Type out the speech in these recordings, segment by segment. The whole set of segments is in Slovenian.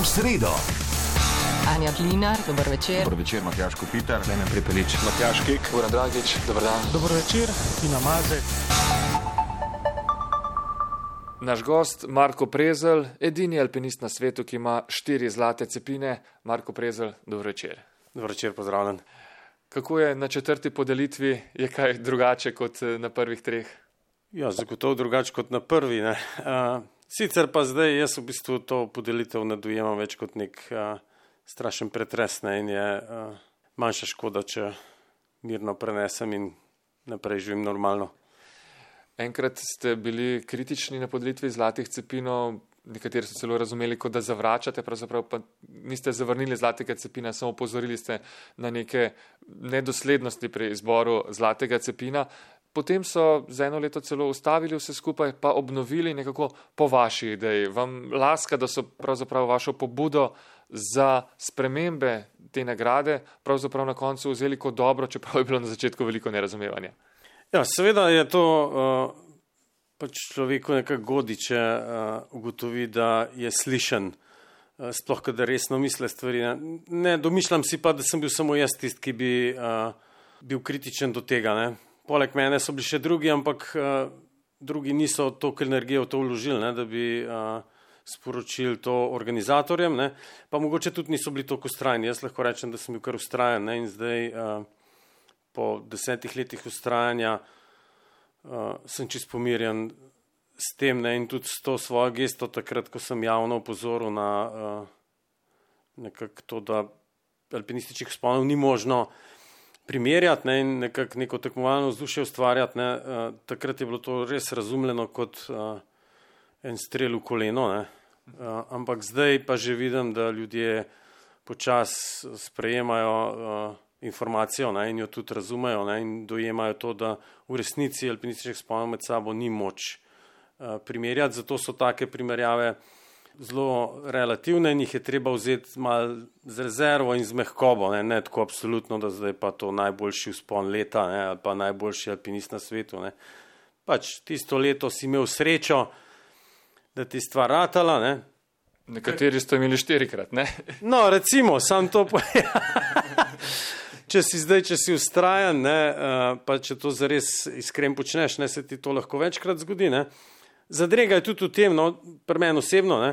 sredo. Anja Klinar, dober večer. Dober večer, Matjaž Kopitar. Klemen Prepelič. Matjaž Kek. Goran Dragič, dober dan. Dober večer, Tina Mazek. Naš gost Marko Prezelj, edini alpinist na svetu, ki ima 4 zlate cepine. Marko Prezelj, dober večer. Dober večer, pozdravljen. Kako je na 4. podelitvi? Je kaj drugače kot na prvih 3? Ja, zagotovo drugače kot na prvi. Ne. Sicer pa zdaj jaz v bistvu to podelitev ne dojemam več kot nek strašen pretres, ne, in je manjša škoda, če mirno prenesem in naprej živim normalno. Enkrat ste bili kritični na podelitvi zlatih cepinov, nekateri so celo razumeli, kot da zavračate, pravzaprav pa niste zavrnili zlatega cepina, samo opozorili ste na neke nedoslednosti pri izboru zlatega cepina. Potem so za 1 leto celo ustavili vse skupaj, pa obnovili nekako po vaši ideji. Vam laska, da so pravzaprav vašo pobudo za spremembe te nagrade pravzaprav na koncu vzeli kot dobro, čeprav je bilo na začetku veliko nerazumevanja. Ja, seveda je to pač človeku nekako godi, če ugotovi, da je slišen, sploh kadar resno misle stvari. Ne domišljam si pa, da sem bil samo jaz tisti, ki bi bil kritičen do tega. Ne. Poleg mene so bili še drugi, ampak drugi niso toliko energije v to vložili, ne, da bi sporočili to organizatorjem, ne. Pa mogoče tudi niso bili toliko vztrajni. Jaz lahko rečem, da sem bil kar vztrajen, ne, in zdaj po 10 letih vztrajanja sem čisto pomirjen s tem, ne, in tudi s to svojo gesto takrat, ko sem javno opozoril na nekako to, da alpinističnih vzponov ni možno primerjati, ne, in nekako neko tekmovalno vzdušje ustvarjati, ne, takrat je bilo to res razumljeno kot en strel v koleno, ne, ampak zdaj pa že vidim, da ljudje počasi sprejemajo informacijo, ne, in jo tudi razumejo, ne, in dojemajo to, da v resnici alpinističnih vzponov med sabo ni moč primerjati, zato so take primerjave zelo relativne in jih je treba vzeti malo z rezervo in z mehkobo, ne tako absolutno, da zdaj pa to najboljši vzpon leta, ne, ali pa najboljši alpinist na svetu. Ne. Pač tisto leto si imel srečo, da ti stvar ratala. Ne. Nekateri ste imeli 4-krat, ne? No, recimo, sam to Če si vztrajan, ne, pa če to zares iskren počneš, ne, se ti to lahko večkrat zgodi. Ne. Zadrega je tudi v tem, no, pri meni osebno, ne,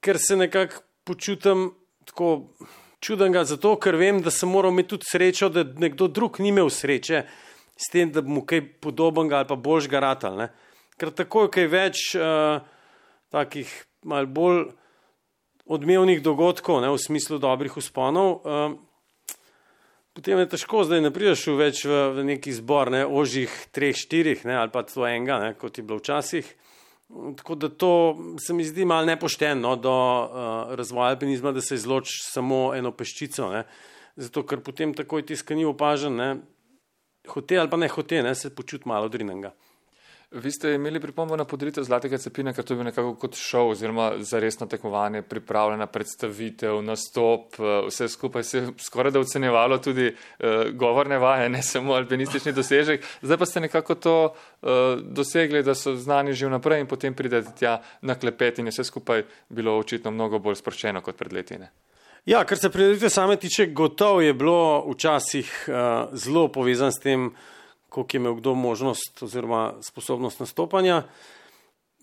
ker se nekako počutim tako čudenega zato, ker vem, da sem moral imeti tudi srečo, da nekdo drug ni imel sreče s tem, da bi mu kaj podobnega ali pa boljšega ratal. Ne. Ker tako je kaj več takih malo bolj odmevnih dogodkov, ne, v smislu dobrih vzponov, potem je težko, zdaj ne prideš več v neki zbor, ne, ožjih 3-4, ne, ali pa to enega, ne, kot je bilo včasih. Tako da to se mi zdi malo nepošteno do razvoja alpinizma, da se izloči samo eno peščico, ne, zato ker potem takoj tiskani opažen, ne, hote ali pa ne hote, ne, se počuti malo odrinenega. Vi ste imeli pripombo na podelitev zlatega cepina, ker to je bil nekako kot šov oziroma za resno tekmovanje, pripravljena predstavitev, nastop, vse skupaj se skoraj da ocenjevalo tudi govorne vaje, ne samo alpinistični dosežek. Zdaj pa ste nekako to dosegli, da so znani že vnaprej in potem pridete tja na klepet in je vse skupaj bilo očitno mnogo bolj sproščeno kot pred leti. Ne? Ja, kar se prireditve same tiče, gotovo je bilo včasih zelo povezan s tem, koliko je imel kdo možnost oziroma sposobnost nastopanja.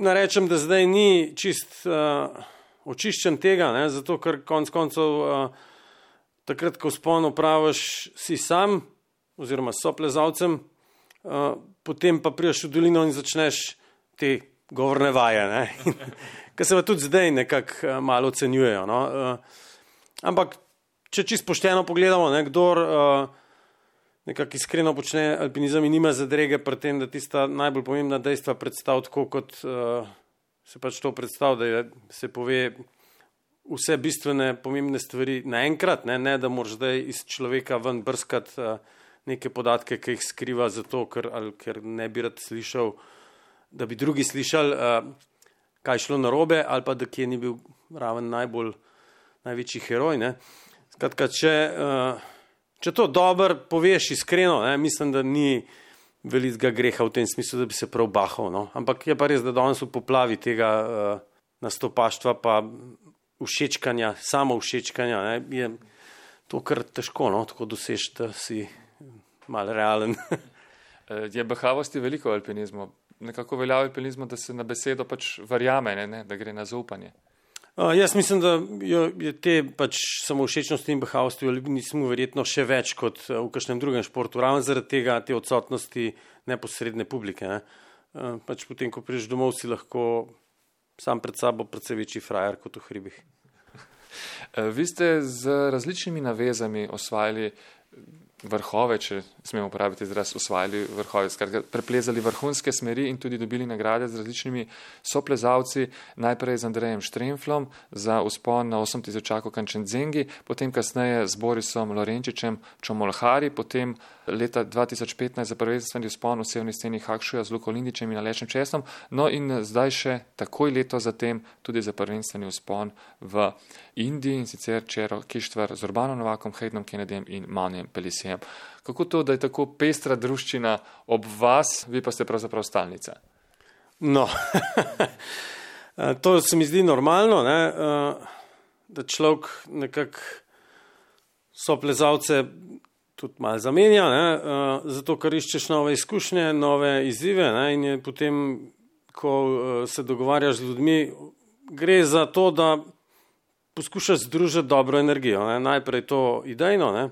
Narečem, da zdaj ni čist očiščen tega, ne, zato ker konec koncev takrat, ko vzpon opraviš, si sam oziroma s soplezalcem, potem pa prideš v dolino in začneš te govorne vaje, ne, ki se pa tudi zdaj nekako malo ocenjujejo. No. Ampak, če čisto pošteno pogledamo, ne, kdor nekako iskreno počne alpinizem in nima zadrege pri tem, da tista najbolj pomembna dejstva predstav tako, kot se pač to predstav, da se pove vse bistvene pomembne stvari naenkrat, ne da moraš zdaj iz človeka ven brskati neke podatke, ki jih skriva zato, ker ne bi rad slišal, da bi drugi slišali, kaj šlo narobe, ali pa da kje ni bil raven največji heroj. Ne. Skratka, če to dobro poveš iskreno, ne, mislim, da ni velikega greha v tem smislu, da bi se prav bahal. No. Ampak je pa res, da danes v poplavi tega nastopaštva pa všečkanja, samo všečkanja, ne, je to kar težko, no, tako doseči, da si malo realen. Je bahavosti veliko v alpinizmu. Nekako velja v alpinizmu, da se na besedo pač verjame, ne, da gre na zaupanje. Jaz mislim, da je te pač samovšečnosti in bahavosti v alpinizmu verjetno še več kot v kakšnem drugem športu, ravno zaradi tega te odsotnosti neposredne publike. Ne. Pač potem, ko prideš domov, si lahko sam pred sabo precej večji frajer kot v hribih. Vi ste z različnimi navezami osvajali vrhove, če smemo uporabiti izraz, osvajali vrhove, skratka, preplezali vrhunske smeri in tudi dobili nagrade z različnimi soplezalci, najprej z Andrejem Štremflom za vzpon na 8000 Kanchenjungi, potem kasneje z Borisom Lorenčičem Čomolhari, potem leta 2015 za prvenstveni vzpon v severni steni Hakšuja z Luko Lindićem in Alešem Česnom, no in zdaj še takoj leto zatem tudi za prvenstveni vzpon v Indiji, in sicer Čero Kištvar z Urbanom Novakom, Haydenom Kennedyjem in Manijem Pelisijem. Kako to, da je tako pestra druščina ob vas, vi pa ste pravzaprav stalnica? No, to se mi zdi normalno, ne? Da človek nekako soplezalce tudi malo zamenja, ne? Zato, ker iščeš nove izkušnje, nove izzive, ne? In je potem, ko se dogovarjaš z ljudmi, gre za to, da poskušaš združiti dobro energijo, ne? Najprej to idejno, ne?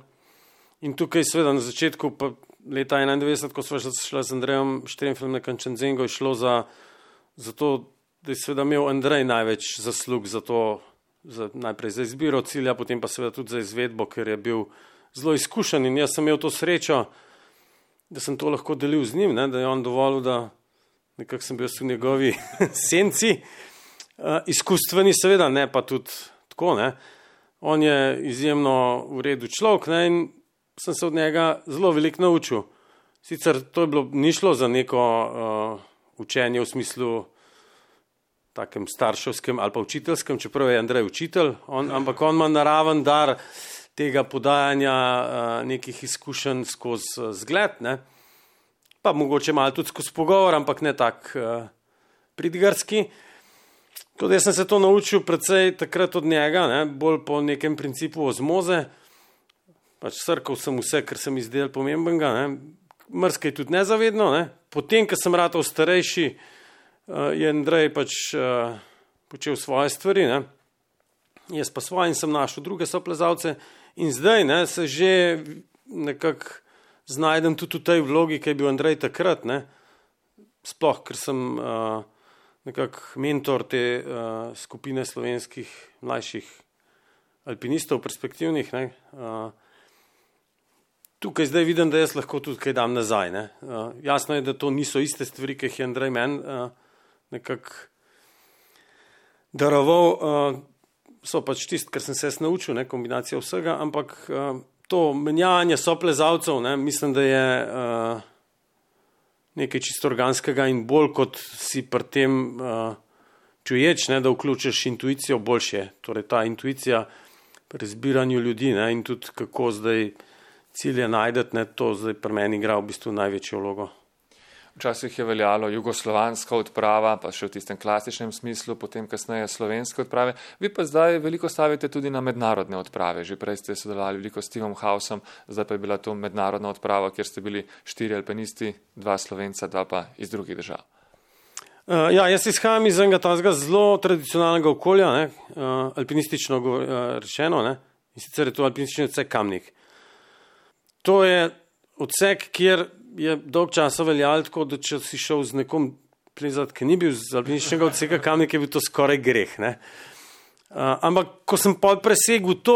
In tukaj seveda na začetku pa leta 91, ko sva šla z Andrejem Štremflom na Kanchenjungo, je šlo za to, da je seveda imel Andrej največ zaslug za to, najprej za izbiro cilja, potem pa seveda tudi za izvedbo, ker je bil zelo izkušen in jaz sem imel to srečo, da sem to lahko delil z njim, ne? Da je on dovolil, da nekako sem bil v njegovi senci, izkustveni seveda, ne pa tudi tako, ne. On je izjemno v redu človek, ne, in sem se od njega zelo veliko naučil. Sicer to je bilo, ni šlo za neko učenje v smislu takem starševskem ali pa učiteljskem, čeprav je Andrej učitelj, ampak on ima naraven dar tega podajanja nekih izkušenj skozi zgled, ne. Pa mogoče malo tudi skozi pogovor, ampak ne tak pridgarski. Tudi jaz sem se to naučil predvsej takrat od njega, ne, bolj po nekem principu ozmoze. Pač srkal sem vse, kar sem izdelal pomembenega, ne. Mrskaj tudi nezavedno, ne. Potem, ko sem ratal starejši, je Andrej pač počel svoje stvari, ne. Jaz pa svoje in sem našel druge soplezalce in zdaj, ne, se že nekako znajdem tudi v tej vlogi, ki je bil Andrej takrat, ne. Sploh, ker sem nekako mentor te skupine slovenskih mlajših alpinistov, perspektivnih, ne. Tukaj zdaj vidim, da jaz lahko tudi kaj dam nazaj, ne. Jasno je, da to niso iste stvari, ki jih je Andrej meni nekako daroval, so pač tisto, kar sem se jaz naučil, ne, kombinacija vsega, ampak to menjavanje soplezalcev, ne, mislim, da je nekaj čisto organskega in bolj kot si pri tem čuječ, ne, da vključiš intuicijo, boljše. Torej ta intuicija pri izbiranju ljudi, ne, in tudi kako zdaj cilje najdeti, ne, to zdaj pri meni igra v bistvu največjo vlogo. Včasih je veljalo jugoslovanska odprava, pa še v tistem klasičnem smislu, potem kasneje slovenske odprave. Vi pa zdaj veliko stavite tudi na mednarodne odprave. Že prej ste sodelovali veliko s Stevom Hausom, zdaj pa je bila to mednarodna odprava, kjer ste bili 4 alpinisti, 2 Slovenca, 2 pa iz drugih držav. Ja, jaz izhajam iz enega tazga zelo tradicionalnega okolja, ne, alpinistično rečeno, ne, in sicer je to alpinistični odsek Kamnik. To je odsek, kjer je dolg časa veljalo tako, da če si šel z nekom plezat, ki ni bil z alpinističnega odseka Kamnik, je bil to skoraj greh, ne. Ampak, ko sem presegel to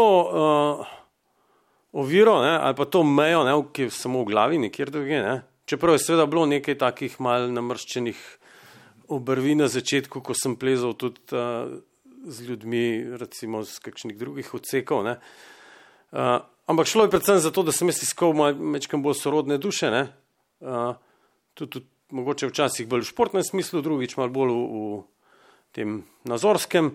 oviro, ne, ali pa to mejo, ne, ki je samo v glavi, nikjer druge, ne, čeprav je seveda bilo nekaj takih mal namrščenih obrvi na začetku, ko sem plezal tudi z ljudmi, recimo z kakšnih drugih odsekov, ne. Ampak šlo je predvsem za to, da sem jaz iskal mečkam bolj sorodne duše, ne. Tudi mogoče včasih bolj v športnem smislu, drugič malo bolj v tem nazorskem.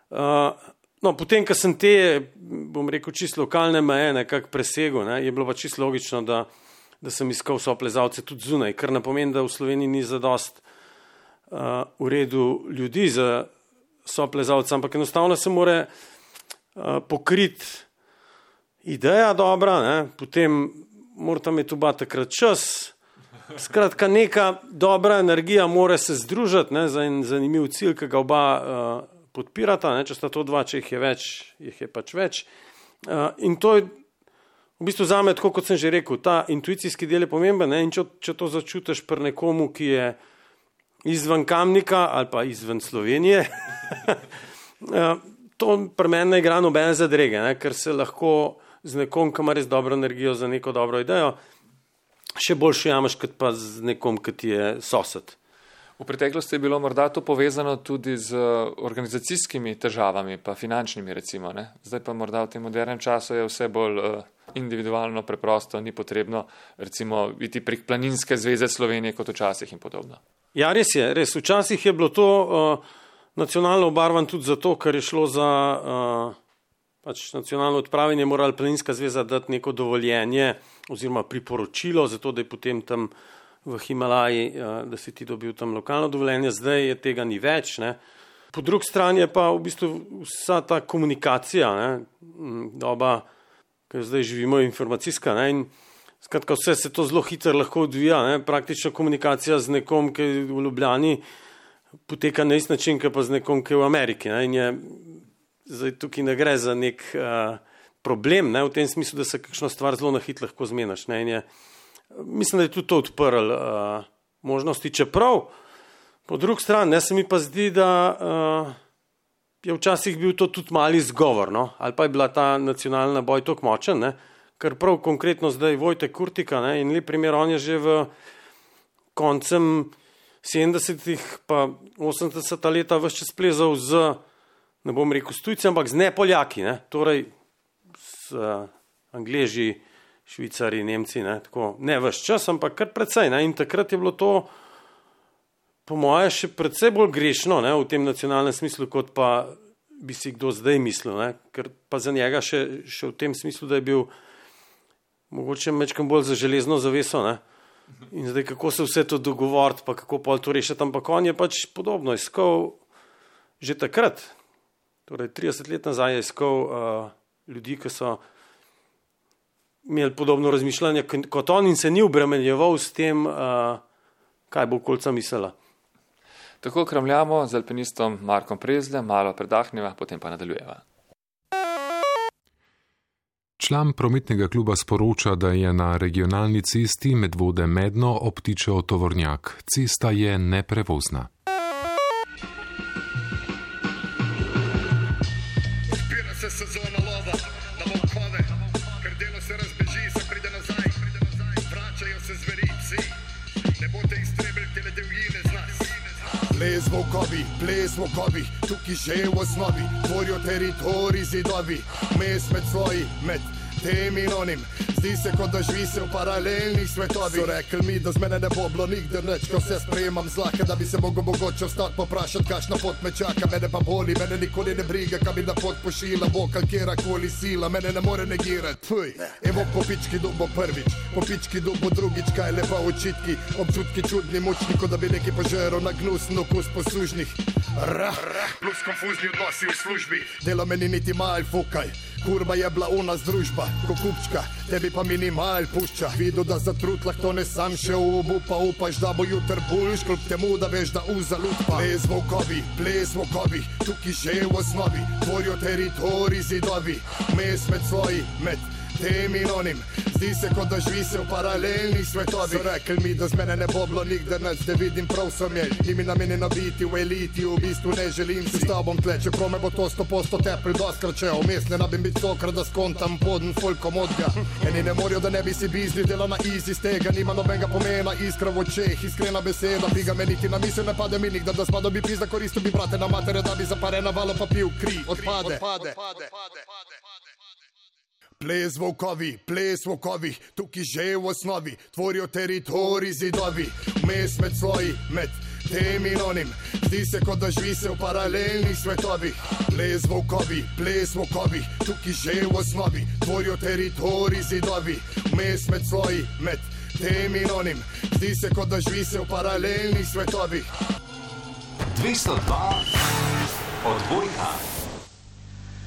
No, potem, ko sem te, bom rekel, čisto lokalne meje nekako presegel, ne, je bilo pa čisto logično, da sem iskal soplezalce tudi zunaj, kar ne pomeni, da v Sloveniji ni zadost v redu ljudi za soplezalca, ampak enostavno se mora pokriti ideja dobra, ne? Potem morata imeti oba takrat čas. Skratka, neka dobra energija mora se združiti, ne, za en zanimiv cilj, ki ga oba podpirata, ne, če sta to dva, če jih je več, jih je pač več. In to je v bistvu zame, tako kot sem že rekel, ta intuicijski del je pomemben, ne, in če to začutiš pri nekomu, ki je izven Kamnika ali pa izven Slovenije, to pri meni ne igra nobene zadrege, ne, ker se lahko z nekom, ki ima res dobro energijo za neko dobro idejo, še boljše jamaš, kot pa z nekom, ki ti je sosed. V preteklosti je bilo morda to povezano tudi z organizacijskimi težavami, pa finančnimi recimo, ne? Zdaj pa morda v tem modernem času je vse bolj individualno, preprosto, ni potrebno recimo iti prek Planinske zveze Slovenije kot včasih in podobno. Ja, res je, res. Včasih je bilo to nacionalno obarvan tudi zato, ker je šlo za pač nacionalno odpravljanje, morala Planinska zveza dati neko dovoljenje oziroma priporočilo, zato da je potem tam v Himalaji, da si ti dobil tam lokalno dovoljenje, zdaj je tega ni več. Ne. Po drugi strani je pa v bistvu vsa ta komunikacija, ne, doba, ki zdaj živimo, informacijska, ne, in skratka vse se to zelo hitro lahko odvija, ne, praktično komunikacija z nekom, ki je v Ljubljani, poteka na isti način, ki pa z nekom, ki je v Ameriki, ne, in je zdaj tukaj ne gre za nek problem, ne, v tem smislu, da se kakšno stvar zelo na hitro lahko zmenaš. Ne, in mislim, da je tudi to odprl možnosti, čeprav po drugi strani, ne, se mi pa zdi, da je včasih bil to tudi mali izgovor, no, ali pa je bila ta nacionalna boj toliko močen, ne, ker prav konkretno zdaj Vojtek Kurtika, ne, in lep primer, on je že v koncem 70-ih pa 80 leta ves čas plezal z, ne bom rekel s tujci, ampak z nepoljaki, ne, torej s Angleži, Švicari, Nemci, ne, tako, ne ves čas, ampak kar precej, ne, in takrat je bilo to po moje še precej bolj grešno, ne, v tem nacionalnem smislu, kot pa bi si kdo zdaj mislil, ne, ker pa za njega še v tem smislu, da je bil mogoče mečkam bolj za železno zaveso, ne, in zdaj kako se vse to dogovoriti, pa kako pol to rešiti, ampak on je pač podobno iskal že takrat, torej 30 let nazaj je iskal ljudi, ki so imeli podobno razmišljanje kot on in se ni obremenjeval s tem, kaj bo okolica mislila. Tako kramljamo z alpinistom Markom Prezljem, malo predahneva, potem pa nadaljujeva. Član prometnega kluba sporoča, da je na regionalni cesti Medvode-Medno obtičal tovornjak. Cesta je neprevozna. Odpira se sezona lova na volkove, ker delo se razbeži, se pride nazaj, vračajo se zveri psi, ne boste iztrebili tele divjine z nas. Ples volkovi, tukaj že v osnovi, tvorijo teritorij zidovi, mes med svoji, med tem in onim. Zdi se, kot da živi se v paralelnih svetovih. So rekli mi, da z mene ne bo bilo nikdar nič, ko vse sprejemam zlahka, da bi se mogel mogoče ostati poprašati, kakšna pot me čaka. Mene pa boli, mene nikoli ne briga, kaj bi na pot pošila, bo kalkjerakoli sila, mene ne more negirati. Fuj, evo po pički dubo prvič, po pički dubo drugič, kaj lepa očitki, občutki čudni, mučni, kot da bi neki požeral na gnusno okus poslužnih. Plus konfuzni odnosi v službi, delo meni niti mal fukaj. Kurva je bila u nas družba, ko kupčka, tebi pa minimal pušča. Vidu, da zatrut lahko ne sam še upa, upaš, da bo jutr boljš, kljub temu, da veš, da uza lutpa. Ples volkovi, tukaj že v osnovi, tvorijo teritorij zidovi, mes med svoji, med tem in onim. Zdi se, kot da živi se v paralelnih svetovih. So rekli mi, da z mene ne bo bilo nikdar nič, da vidim prav sem je. Ni mi namenjeno biti v eliti, v bistvu ne želim si s tobom tle, čeprav me bo to 100% tepri doskrat, če vmes ne nabim biti stokrat, da skontam podn folkom odga. Eni ne morajo, da ne bi si bizli, dela na easy, z tega nima nobenega pomena, iskra v očeh, iskrena beseda, bi ga meniti na misel, ne pade mi nikdar, da spada bi pizda, koristil bi brate na matere, da bi zapare na valo pa pil kri, odpade. Ples volkovi, tukaj že v osnovi, tvorijo teritorij zidovi, mes med svoji, med tem in onim. Zdi se, kot da živi se v paralelnih svetovih. Ples volkovi, tukaj že v osnovi, tvorijo teritorij zidovi, mes med svoji, med tem in onim. Zdi se, kot da živi se v paralelnih svetovih. 202 Odbojka.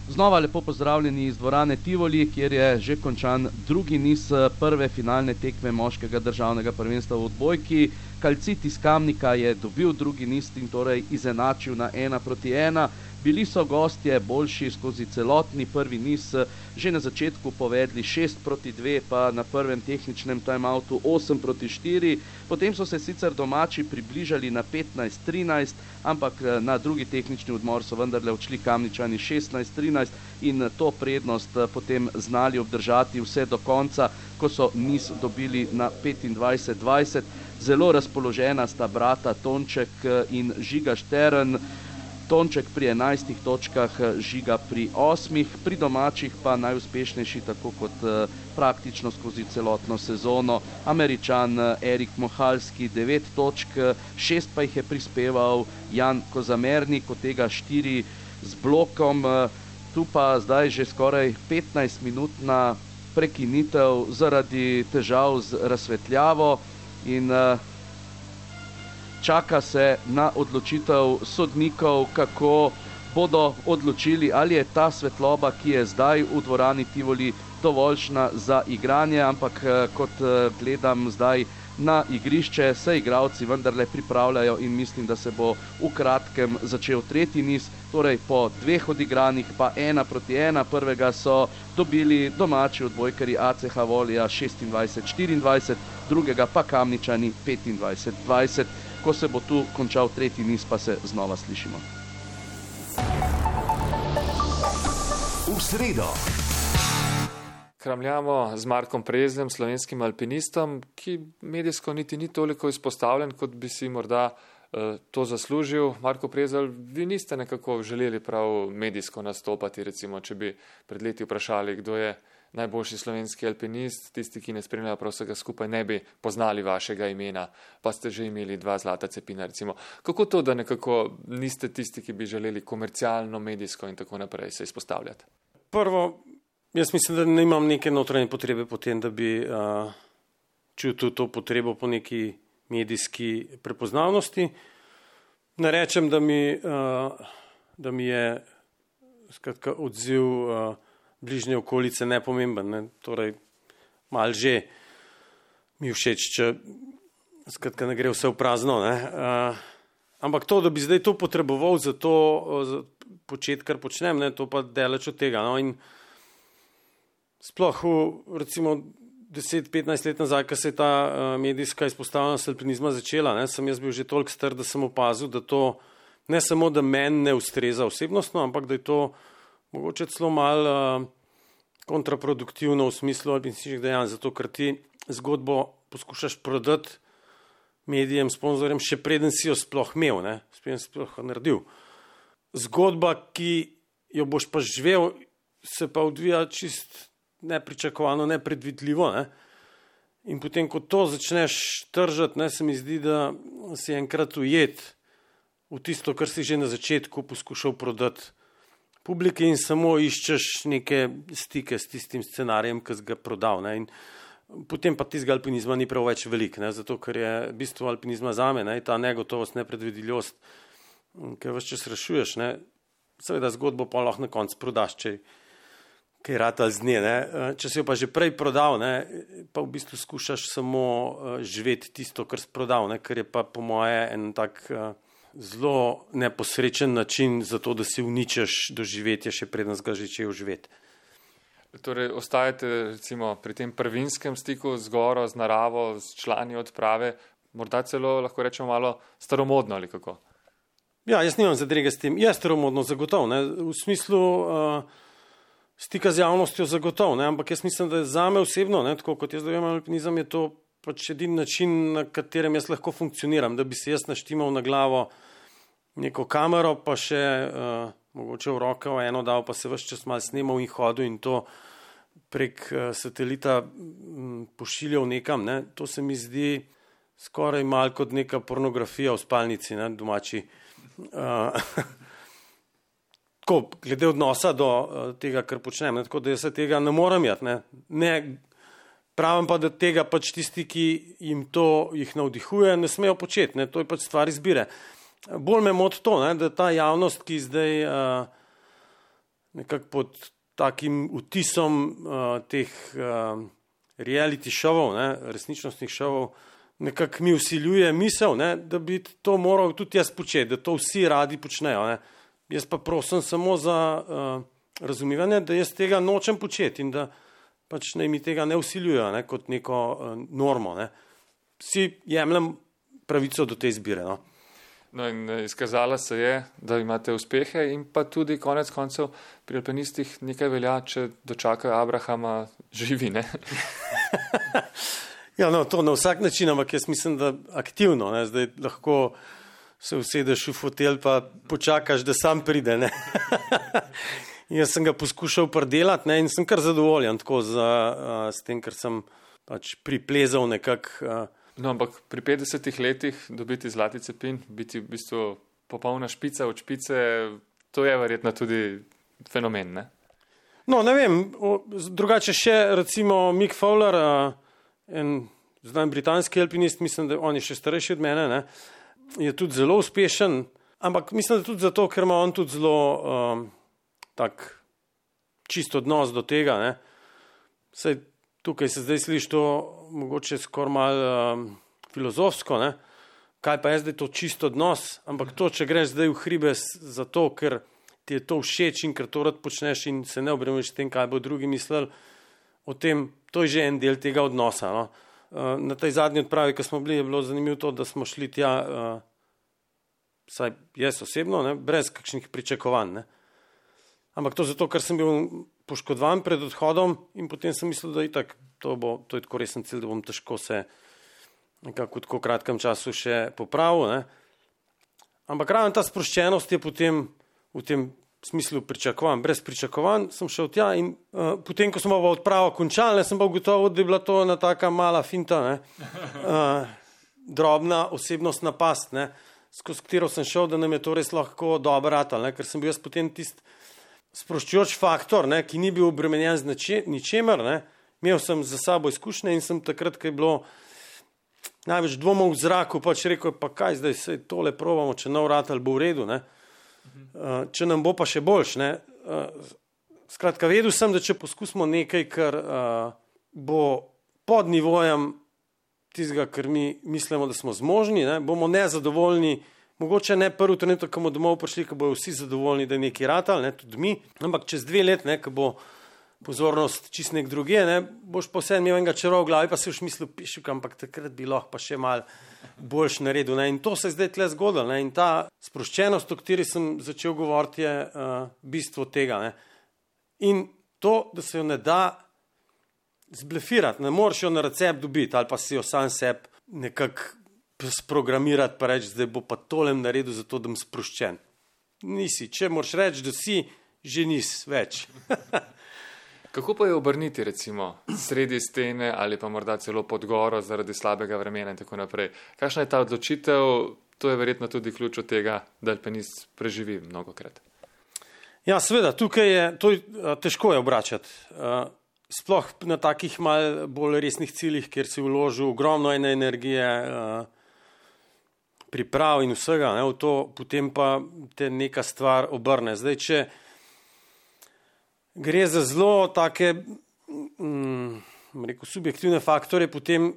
Znova lepo pozdravljeni iz dvorane Tivoli, kjer je že končan drugi niz prve finalne tekme moškega državnega prvenstva v odbojki. Calcit iz Kamnika je dobil drugi niz in torej izenačil na 1-1. Bili so gostje boljši skozi celotni prvi niz, že na začetku povedli 6-2, pa na prvem tehničnem timeoutu 8-4. Potem so se sicer domači približali na 15-13, ampak na drugi tehnični odmor so vendarle odšli Kamničani 16-13 in to prednost potem znali obdržati vse do konca, ko so niz dobili na 25-20. Zelo razpoložena sta brata Tonček in Žiga Štern. Tonček pri 11 točkah, Žiga pri 8, pri domačih pa najuspešnejši tako kot praktično skozi celotno sezono Američan Erik Mohalski 9 točk, 6 pa jih je prispeval Jan Kozamernik, od tega 4 z blokom. Tu pa zdaj že skoraj 15-minutna prekinitev zaradi težav z razsvetljavo in čaka se na odločitev sodnikov, kako bodo odločili, ali je ta svetloba, ki je zdaj v dvorani Tivoli, dovoljšna za igranje, ampak kot gledam zdaj na igrišče, se igralci vendarle pripravljajo in mislim, da se bo v kratkem začel tretji niz, torej po 2 odigranih pa 1-1. Prvega so dobili domači odbojkarji ACH Volija 26-24, drugega pa Kamničani 25-20. Ko se bo tu končal tretji niz, pa se znova slišimo. V sredo. Kramljamo z Markom Prezljem, slovenskim alpinistom, ki medijsko niti ni toliko izpostavljen, kot bi si morda to zaslužil. Marko Prezelj, vi niste nekako želeli prav medijsko nastopati, recimo, če bi pred leti vprašali, kdo je najboljši slovenski alpinist, tisti, ki ne spremljajo prav vsega skupaj, ne bi poznali vašega imena, pa ste že imeli 2 zlata cepina, recimo. Kako to, da nekako niste tisti, ki bi želeli komercialno, medijsko in tako naprej se izpostavljati? Prvo, jaz mislim, da nimam neke notranje potrebe po tem, da bi čutil to potrebo po neki medijski prepoznavnosti. Ne rečem, da mi je skratka odziv bližnje okolice nepomemben, ne? Torej malo že mi všeč, če skratka ne gre vse v prazno, ne? Ampak to, da bi zdaj to potreboval za to početi, kar počnem, ne? To pa daleč od tega, no? In sploh recimo 10-15 let nazaj, ko se je ta medijska izpostavljenost alpinizma začela, ne? Sem jaz bil že toliko star, da sem opazil, da to ne samo, da meni ne ustreza osebnostno, ampak da je to mogoče celo malo kontraproduktivno v smislu alpinističnih dejanj, zato ker ti zgodbo poskušaš prodati medijem, sponzorjem, še preden si jo sploh imel, ne? Preden si sploh naredil. Zgodba, ki jo boš pa živel, se pa odvija čist nepričakovano, nepredvidljivo, ne? In potem, ko to začneš tržati, ne, se mi zdi, da si enkrat ujet v tisto, kar si že na začetku poskušal prodati publiki in samo iščeš neke stike s tistim scenarijem, ki si ga prodal, ne? In potem pa tistega alpinizma ni prav več velik, ne? Zato ker je bistvo alpinizma zame, ne, ta negotovost, nepredvidljivost, ki ves čas rešuješ, ne? Seveda zgodbo pa lahko na koncu prodaš, če kaj rata z nje, ne? Če si jo pa že prej prodal, ne, pa v bistvu skušaš samo živeti tisto, kar si prodal, ne? Kar je pa po moje en tak zelo neposrečen način za to, da si uničeš doživetje, še preden ga začel živeti. Torej, ostajate recimo pri tem prvinskem stiku z goro, z naravo, s člani odprave, morda celo lahko rečemo malo staromodno ali kako? Ja, jaz nimam zadrege s tem. Je staromodno zagotovo, ne? V smislu stika z javnostjo zagotovo, ne? Ampak jaz mislim, da zame osebno, ne, tako kot jaz dojemam alpinizem, je to pač edini način, na katerem jaz lahko funkcioniram, da bi se jaz naštimal na glavo neko kamero, pa še mogoče v roko eno dal, pa se ves čas malo snemal in hodil in to prek satelita pošiljal nekam, ne? To se mi zdi skoraj malo kot neka pornografija v spalnici, ne, domači. Tako, glede odnosa do tega, kar počnem, ne? Tako da jaz se tega ne morem jati, ne pravim pa, da tega pač tisti, ki jim to jih navdihuje, ne smejo početi, ne? To je pač stvar izbire. bolj me moti to, ne, da ta javnost, ki zdaj nekako pod takim vtisom teh reality šovov, ne, resničnostnih šovov, nekako mi vsiljuje misel, ne, da bi to moral tudi jaz početi, da to vsi radi počnejo. Ne. Jaz pa prosim samo za razumevanje, da jaz tega nočem početi in da pač naj mi tega ne vsiljujejo, ne, kot neko normo. Ne. Vsi jemljem pravico do te izbire. No. No in izkazala se je, da imate uspehe in pa tudi konec koncev pri alpinistih nekaj velja, če dočakajo Abrahama živi, ne? Ja, no, to na vsak način, ampak jaz mislim, da aktivno, ne, zdaj lahko se usedeš v fotelj pa počakaš, da sam pride, ne. Jaz sem ga poskušal predelati, ne, in sem kar zadovoljen tako s tem, ker sem pač priplezal nekako. No, ampak pri 50 letih dobiti zlati cepin, biti v bistvu popolna špica od špice, to je verjetno tudi fenomen, ne? No, ne vem, drugače še recimo Mick Fowler, en znam britanski alpinist, mislim, da on je še starejši od mene, ne, je tudi zelo uspešen, ampak mislim, da tudi zato, ker ima on tudi zelo tak čist odnos do tega, ne. Saj tukaj se zdaj sliši to mogoče skoraj malo filozofsko, ne? Kaj pa je zdaj to čist odnos, ampak to, če greš zdaj v hribe zato, ker ti je to všeč in ker to rad počneš in se ne obremeniš s tem, kaj bo drugi mislili o tem, to je že en del tega odnosa. No? Na tej zadnji odpravi, ko smo bili, je bilo zanimivo to, da smo šli tja, saj jaz osebno, ne? Brez kakšnih pričakovanj. Ne? Ampak to zato, ker sem bil poškodovan pred odhodom in potem sem mislil, da itak, to je tako resen cilj, da bom težko se nekako v tako kratkem času še popravil. Ne? Ampak ravno ta sproščenost je potem v tem smislu pričakovan. Brez pričakovanj sem šel tja in potem, ko smo odpravo končali, sem pa ugotovil, da je bila to ena taka mala finta, ne? Drobna osebnostna past, ne? Skozi katero sem šel, da nam je to res lahko dobro ratalo, ker sem bil jaz potem tisti sproščujoč faktor, ne, ki ni bil obremenjen z ničemer, ne. Imel sem za sabo izkušnje in sem takrat, ko je bilo največ dvomov v zraku, pač rekel, pa kaj zdaj se tole probamo, če nov ratal bo v redu, ne. Če nam bo pa še boljš, ne. Skratka, vedel sem, da če poskusimo nekaj, kar bo pod nivojem tistega, kar mi mislimo, da smo zmožni, ne, bomo nezadovoljni. Mogoče ne prvi trenutek, ko bomo domov prišli, ko bojo vsi zadovoljni, da je nekaj ratal, ne, tudi mi, ampak čez 2 let, ne, ko bo pozornost čist nek druge, ne, boš pa vse imel enega čaro v glavi, pa si už mislil, pišuk, ampak takrat bi lahko pa še malo boljš naredil. Ne, in to se je zdaj tle zgodilo. Ne, in ta sproščenost, o kateri sem začel govoriti, je bistvo tega. Ne. In to, da se jo ne da zblefirati, ne moreš jo na recept dobiti ali pa si jo sam sebi nekako sprogramirati pa reči, zdaj bo pa tolem naredil zato, da bom sproščen. Nisi. Če moraš reči, da si, že nisi več. Kako pa je obrniti recimo sredi stene ali pa morda celo pod goro zaradi slabega vremena in tako naprej? Kakšna je ta odločitev? To je verjetno tudi ključ od tega, da alpinist preživi mnogokrat. Ja, seveda, tukaj je, to težko je obračati. Sploh na takih mal bolj resnih ciljih, kjer si vložil ogromno ene energije, priprav in vsega, ne, v to, potem pa te neka stvar obrne. Zdaj, če gre za zelo take subjektivne faktore, potem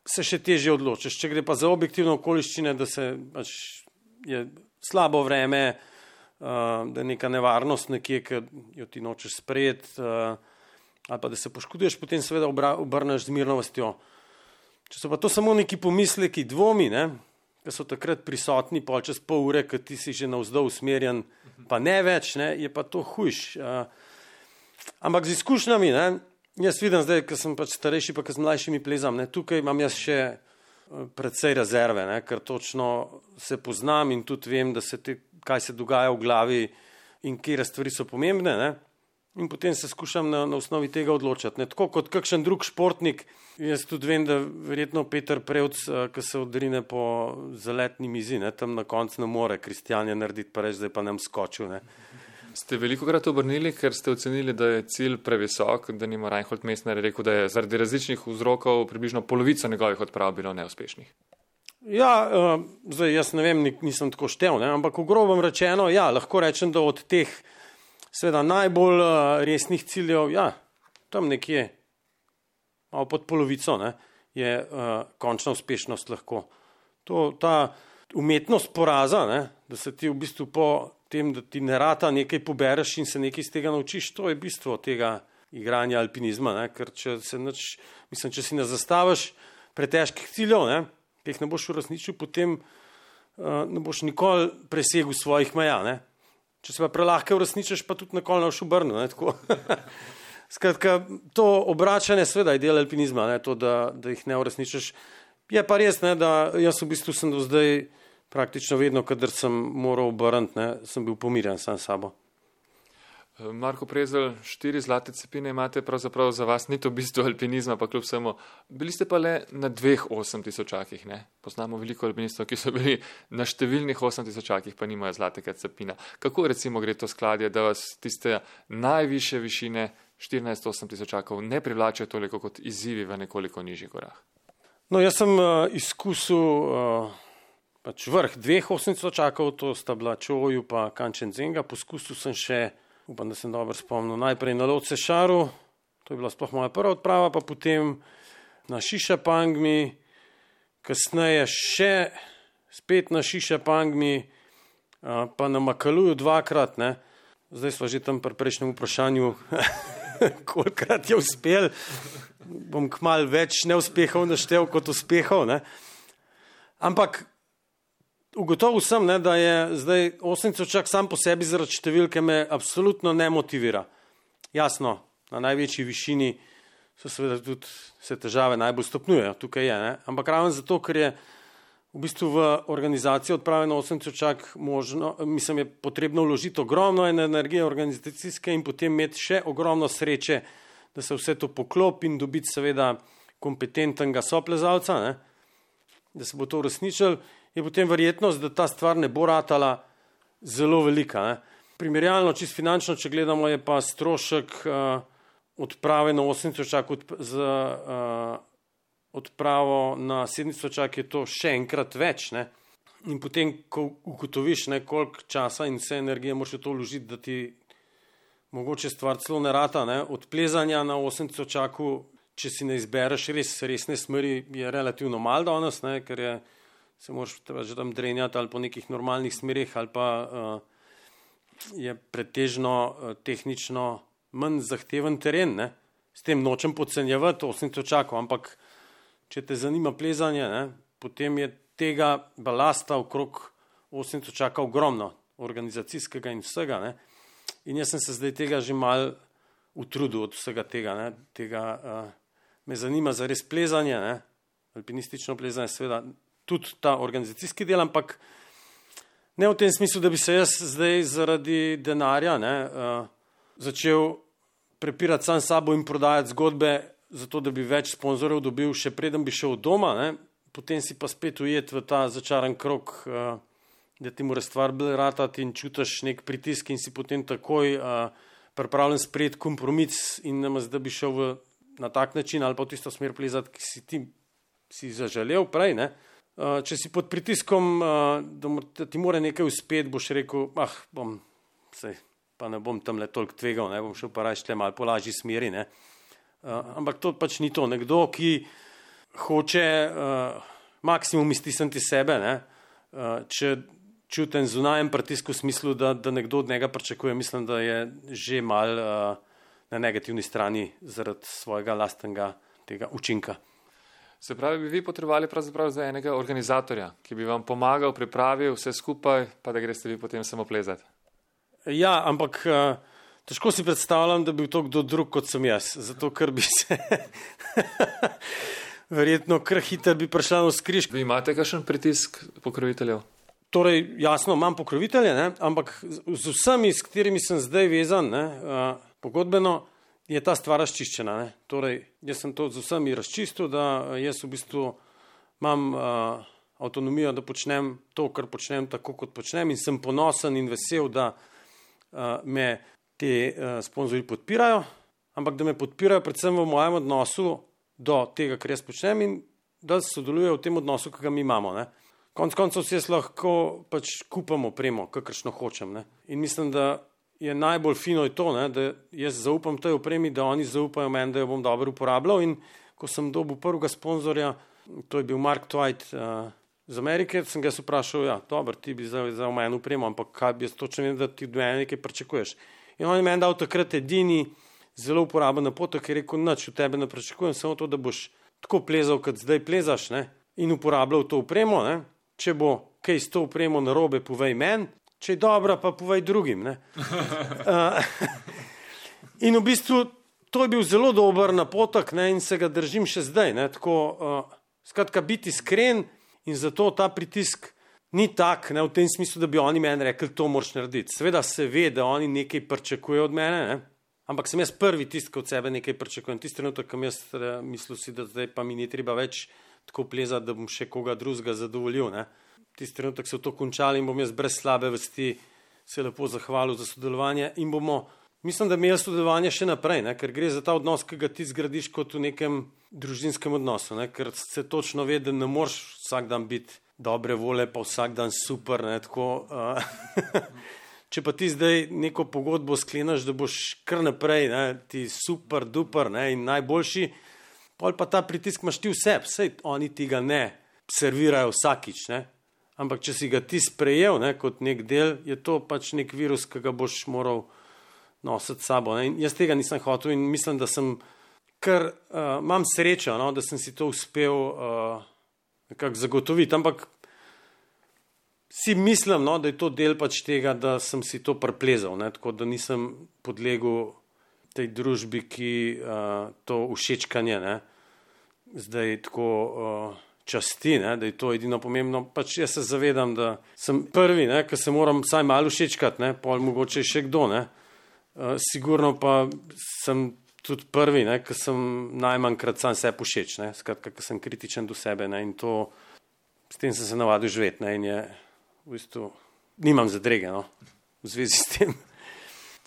se še težje odločiš. Če gre pa za objektivne okoliščine, da se pač je slabo vreme, da je neka nevarnost nekje, ki jo ti nočeš sprejeti, ali pa da se poškoduješ, potem seveda obrneš z mirnostjo. Če so pa to samo neki pomisleki, dvomi, ne, ki so takrat prisotni pol čez pol ure, ki ti si že navzdol usmerjen, pa ne več, ne, je pa to hujš. Ampak z izkušnjami, ne, jaz vidim zdaj, ko sem pač starejši, pa ko z mlajšimi plezam, ne, tukaj imam jaz še precej rezerve, ne, ker točno se poznam in tudi vem, da kaj se dogaja v glavi in kje stvari so pomembne, ne. In potem se skušam na osnovi tega odločati. Ne. Tako kot kakšen drug športnik, jaz tudi vem, da verjetno Peter Prevc, ki se odrine po zaletni mizi, ne, tam na koncu ne more Kristjanje narediti, pa reči, zdaj pa nam skočil. Ne. Ste velikokrat obrnili, ker ste ocenili, da je cilj previsok, da nima Reinhold Messner rekel, da je zaradi različnih vzrokov približno polovico njegovih odprav bilo neuspešnih? Ja, zdaj jaz ne vem, nisem tako štev, ne? Ampak v grobem rečeno, ja, lahko rečem, da od teh seveda najbolj resnih ciljev, ja, tam nekje, malo pod polovico, ne, je končna uspešnost lahko. Ta umetnost poraza, ne, da se ti v bistvu po tem, da ti ne rata nekaj pobereš in se nekaj iz tega naučiš, to je bistvo tega igranja alpinizma, ne, ker če si ne zastaviš pretežkih ciljev, ne, ki jih ne boš uresničil, potem ne boš nikoli presegel svojih meja, ne. Če se pa prelahke uresničiš, pa tudi nikoli ne boš obrnil, ne, tako. Skratka, to obračanje seveda je del alpinizma, ne, to, da jih ne uresničiš. Je pa res, ne, da jaz v bistvu sem do zdaj praktično vedno, kadar sem moral obrniti, ne, sem bil pomirjen sam s sabo. Marko Prezelj, 4 zlate cepine imate, pravzaprav za vas ni to bistvo alpinizma, pa kljub vsemu. Bili ste pa le na 2 8000-akih, ne? Poznamo veliko alpinistov, ki so bili na številnih 8000-akih, pa nimajo zlatega cepina. Kako recimo gre to skladje, da vas tiste najvišje višine 14 8000-akov ne privlačijo toliko kot izzivi v nekoliko nižjih gorah? No, jaz sem izkusil pač vrh 2 8000-akov, to sta bila Čoju pa Kančenzenga, poskusil sem še, upam, da sem dobro spomnil, najprej na Lhotse Šaru, to je bila sploh moja prva odprava, pa potem na Šišapangmi, kasneje še spet na Šišapangmi, pa na Makaluju 2-krat, ne. Zdaj sva že tam pri prejšnjem vprašanju, kolikrat je uspel, bom kmalu več neuspehov naštel kot uspehov, ne. Ampak ugotovil sem, ne, da je zdaj 8000-ak sam po sebi zaradi številke me absolutno ne motivira. Jasno, na največji višini so seveda tudi se težave najbolj stopnjujejo, tukaj je, ne. Ampak ravno zato, ker je v bistvu v organizacijo odprave na 8000-ak je potrebno vložiti ogromno energije organizacijske in potem imeti še ogromno sreče, da se vse to poklopi in dobiti seveda kompetentnega soplezalca, ne, da se bo to uresničilo, je potem verjetnost, da ta stvar ne bo ratala zelo velika, ne. Primerjalno, čisto finančno, če gledamo, je pa strošek odprave na 8000-ak z odpravo na 7000-ak je to še enkrat več, ne. In potem, ko ugotoviš, ne, koliko časa in vse energije moraš v to vložiti, da ti mogoče stvar celo ne rata, ne. Od plezanja na 8000-aku, če si ne izbereš resne smeri, je relativno malo danes, ne, ker se moraš že tam drenjati ali po nekih normalnih smerih ali pa je pretežno tehnično manj zahteven teren, ne. S tem nočem podcenjevati 8000-akov, ampak če te zanima plezanje, ne, potem je tega balasta okrog 8000-aka ogromno, organizacijskega in vsega, ne. In jaz sem se zdaj tega že malo utrudil od vsega tega, ne. Me zanima zares plezanje, ne, alpinistično plezanje, seveda tudi ta organizacijski del, ampak ne v tem smislu, da bi se jaz zdaj zaradi denarja, ne, začel prepirati sam sabo in prodajati zgodbe, zato da bi več sponzorjev dobil, še preden bi šel od doma, ne, potem si pa spet ujet v ta začaran krog, da ti mora stvar bolj ratati in čutiš nek pritisk in si potem takoj pripravljen sprejeti kompromis in da bi šel na tak način ali pa v tisto smer plezati, ki si ti zaželel prej, ne. Če si pod pritiskom, da ti mora nekaj uspeti, boš rekel, pa ne bom tamle toliko tvegal, ne, bom šel pa raje šle malo po lažji smeri, ne. Ampak to pač ni to. Nekdo, ki hoče maksimum iztisniti sebe, ne, če čutim zunajem pritisk v smislu, da nekdo od njega pričakuje, mislim, da je že malo na negativni strani zaradi svojega lastnega tega učinka. Se pravi, bi vi potrebovali pravzaprav za enega organizatorja, ki bi vam pomagal, pripravil vse skupaj, pa da greste vi potem samo plezati? Ja, ampak težko si predstavljam, da bi to kdo drug kot sem jaz, zato ker bi se verjetno kar hitro bi prišla na skriž. Vi imate kakšen pritisk pokroviteljev? Torej, jasno, imam pokrovitelje, ne, ampak z vsemi, s katerimi sem zdaj vezan, ne, pogodbeno, je ta stvar razčiščena, ne. Torej, jaz sem to z vsemi razčistil, da jaz v bistvu imam avtonomijo, da počnem to, kar počnem tako, kot počnem in sem ponosen in vesel, da me te sponzorji podpirajo, ampak da me podpirajo predvsem v mojem odnosu do tega, kar jaz počnem in da sodelujejo v tem odnosu, ki ga mi imamo. Ne. Konec koncev si jaz lahko pač kupam opremo, kakršno hočem. Ne. In mislim, da je najbolj fino je to, ne, da jaz zaupam tej opremi, da oni zaupajo meni, da jo bom dobro uporabljal. In ko sem dobil prvega sponzorja, to je bil Mark Twight z Amerike, sem ga vprašal, ja, dobro, ti bi za meni upremo, ampak kaj bi jaz točno vedel, da ti od mene nekaj pričakuješ. In on je meni dal takrat edini zelo uporaben napotek, ki je rekel, nič od tebe ne pričakujem, samo to, da boš tako plezal, kot zdaj plezaš, ne, in uporabljal to upremo, ne. Če bo kaj s to upremo narobe, povej meni, če je dobra, pa povej drugim. Ne. In v bistvu to je bil zelo dober napotek, ne, in se ga držim še zdaj. Ne, tako, skratka, biti iskren in zato ta pritisk ni tak, ne, v tem smislu, da bi oni meni rekli, to moraš narediti. Seveda se ve, da oni nekaj pričakujejo od mene, ne, ampak sem jaz prvi tisti, ki od sebe nekaj pričakujem. Tisti trenutek, kam jaz mislil si, da zdaj pa mi ni treba več tako plezati, da bom še koga drugega zadovoljil. Ne. Tisti trenutek se v to končali in bom jaz brez slabe vesti se lepo zahvalil za sodelovanje in bomo, mislim, da imeli sodelovanje še naprej, ne, ker gre za ta odnos, ki ga ti zgradiš kot v nekem družinskem odnosu, ne, ker se točno ve, da ne moreš vsak dan biti dobre vole, pa vsak dan super, ne, tako. Če pa ti zdaj neko pogodbo sklenaš, da boš kar naprej, ne, ti super, duper, ne, in najboljši, pol pa ta pritisk imaš ti vseb, sej oni ti ga ne servirajo vsakič, ne, ampak če si ga ti sprejel, ne, kot nek del, je to pač nek virus, ki ga boš moral nositi s sabo. Ne, in jaz tega nisem hotel in mislim, da sem kar, imam srečo, no, da sem si to uspel nekako zagotoviti, ampak si mislim, no, da je to del pač tega, da sem si to priplezal, ne, tako da nisem podlegel tej družbi, ki to všečkanje, ne, zdaj tako časti, ne, da je to edino pomembno. Pač jaz se zavedam, da sem prvi, ne, ki se moram vsaj malo všečkati, ne, pol mogoče še kdo, ne. Sigurno pa sem tudi prvi, ne, ki sem najmanjkrat sam sebi všeč, ne, skratka, ki sem kritičen do sebe, ne, in to, s tem sem se navadil živeti, ne, in je v bistvu, nimam zadrege, no, v zvezi s tem.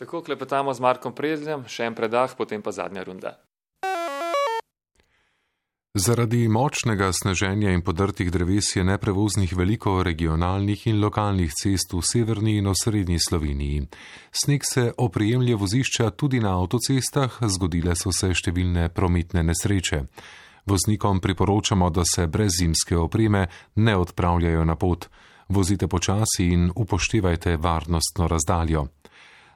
Tako klepetamo z Markom Prezljem, še en predah, potem pa zadnja runda. Zaradi močnega sneženja in podrtih dreves je neprevoznih veliko regionalnih in lokalnih cest v severni in osrednji Sloveniji. Sneg se oprijemlje vozišča tudi na avtocestah, zgodile so se številne prometne nesreče. Voznikom priporočamo, da se brez zimske opreme ne odpravljajo na pot. Vozite počasi in upoštevajte varnostno razdaljo.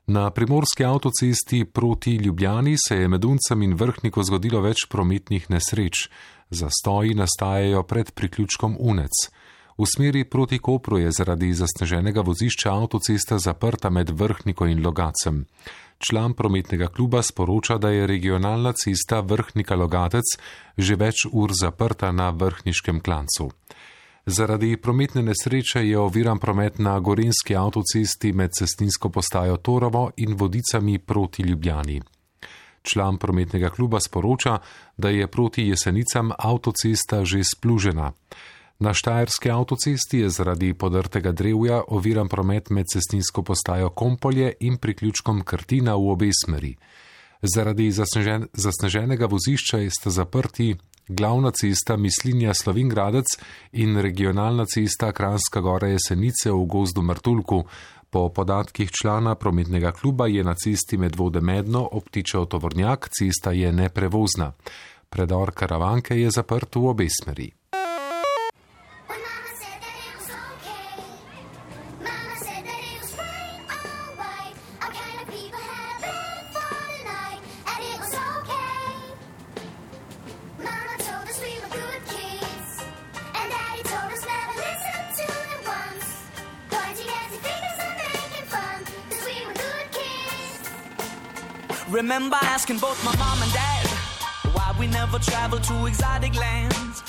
Na primorski avtocesti proti Ljubljani se je med Uncem in Vrhnikom zgodilo več prometnih nesreč. Zastoji nastajajo pred priključkom Unec. V smeri proti Kopru je zaradi zasneženega vozišča avtocesta zaprta med Vrhnikom in Logacem. Član prometnega kluba sporoča, da je regionalna cesta Vrhnika-Logatec že več ur zaprta na Vrhniškem klancu. Zaradi prometne nesreče je oviran promet na gorenjski avtocesti med cestninsko postajo Torovo in Vodicami proti Ljubljani. Član prometnega kluba sporoča, da je proti Jesenicam avtocesta že splužena. Na štajerski avtocesti je zaradi podrtega drevja oviran promet med cestninsko postajo Kompolje in priključkom Krtina v obe smeri. Zaradi zasneženega vozišča sta zaprti glavna cesta Mislinja-Slovenj Gradec in regionalna cesta Kranjska Gora Jesenice v gozdu Martuljku. Po podatkih člana prometnega kluba je na cesti Medvode Medno obtičal tovornjak, cesta je neprevozna. Predor Karavanke je zaprt v obe smeri. Remember asking both my mom and dad why we never travel to exotic lands.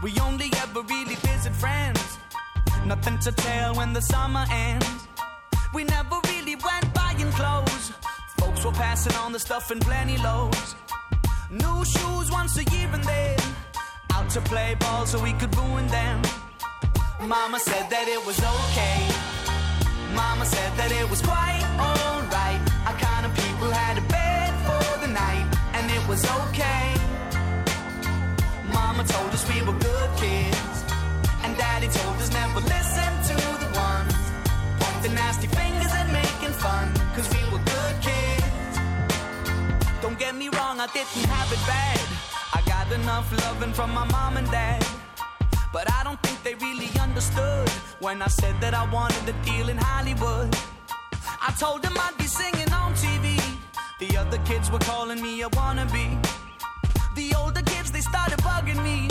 We only ever really visit friends. Nothing to tell when the summer ends. We never really went buying clothes. Folks were passing on the stuff in plenty loads. New shoes once a year and then out to play ball so we could ruin them. Mama said that it was okay. Mama said that it was quite alright. Our kind of people had a bed for the night, and it was okay. Mama told us we were good. kids. And daddy told us never listen to the ones pointing nasty fingers and making fun, cause we were good kids. Don't get me wrong, I didn't have it bad. I got enough loving from my mom and dad, but I don't think they really understood when I said that I wanted a deal in Hollywood. I told them I'd be singing on TV. The other kids were calling me a wannabe. The older kids, they started bugging me,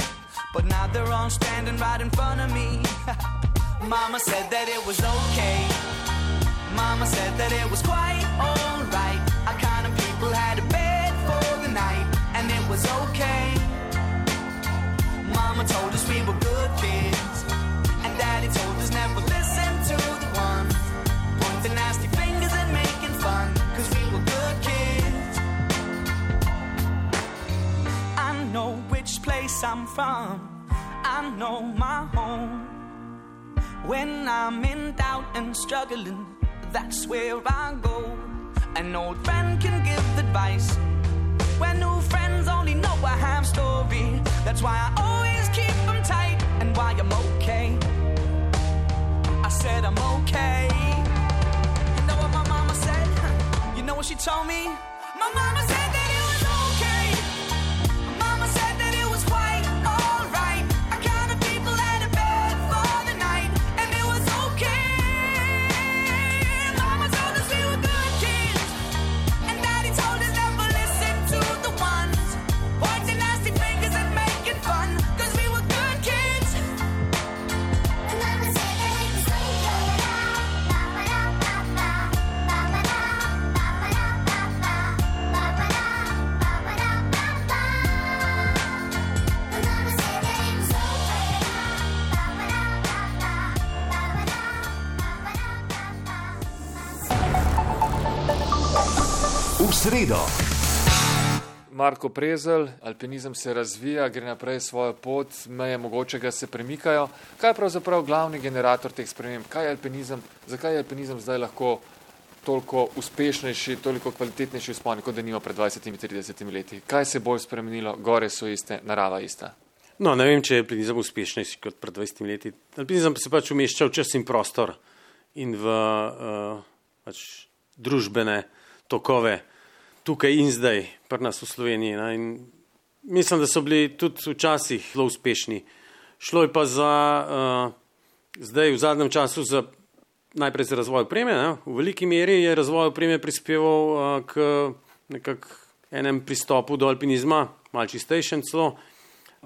but now they're all standing right in front of me. Mama said that it was okay. Mama said that it was quite alright. Our kind of people had a bed for the night, and it was okay. Mama told us we were good kids, and daddy told us never listen to the ones pointing nasty fingers and making fun, cause we were good kids. I know which place I'm from, I know my home. When I'm in doubt and struggling, that's where I go. An old friend can give advice when new friends only know a half story. That's why I always keep them tight, and why I'm okay. I said I'm okay. You know what my mama said? You know what she told me? My mama said that it was okay. Mama said that it was quite alright. Our kind of people had a bed for the night, and it was okay. Mama told us we were good kids, and daddy told us never listen to the ones pointing nasty fingers and making fun, cause we were good kids. And mama said that it was V sredo. Marko Prezelj, alpinizem se razvija, gre naprej svojo pot, meje mogočega se premikajo. Kaj je pravzaprav glavni generator teh sprememb? Kaj je alpinizem? Zakaj je alpinizem zdaj lahko toliko uspešnejši, toliko kvalitetnejši vzpon, kot da nima pred 20-30 leti? Kaj se je bolj spremenilo? Gore so iste, narava ista. No, ne vem, če je alpinizem uspešnejši kot pred 20 leti. Alpinizem se pač umešča v čas in prostor in v pač družbene tokove tukaj in zdaj, pri nas v Sloveniji. Ne? In mislim, da so bili tudi včasih zelo uspešni. Šlo je pa za zdaj v zadnjem času najprej za razvoj opreme. Ne? V veliki meri je razvoj opreme prispeval k nekak enem pristopu do alpinizma, malo čistejšem celo.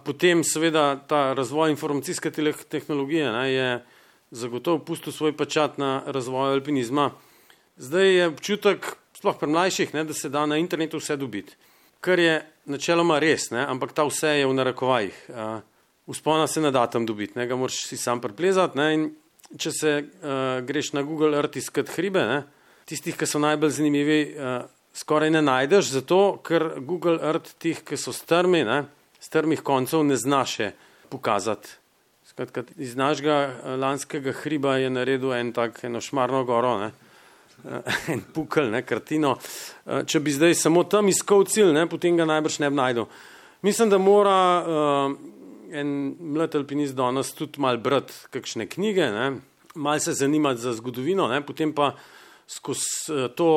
Potem seveda ta razvoj informacijske tehnologije je zagotovo pustil svoj pečat na razvoju alpinizma. Zdaj je občutek, sploh pri mlajših, da se da na internetu vse dobiti. Kar je načeloma res, ampak ta vse je v narekovajih. Vzpona se ne da tam dobiti, ga moraš si sam preplezati. In če se greš na Google Earth iskat hribe, tistih, ki so najbolj zanimivi, skoraj ne najdeš, zato ker Google Earth tih, ki so strmi, strmih koncev ne zna še pokazati. Skratka, iz našega lanskega hriba je naredil eno šmarno goro, en pukelj, kartino. Če bi zdaj samo tam iskal cilj, potem ga najbrž ne bi najdel. Mislim, da mora en mlad alpinist danes tudi malo brati kakšne knjige, malo se zanimati za zgodovino, potem pa skozi to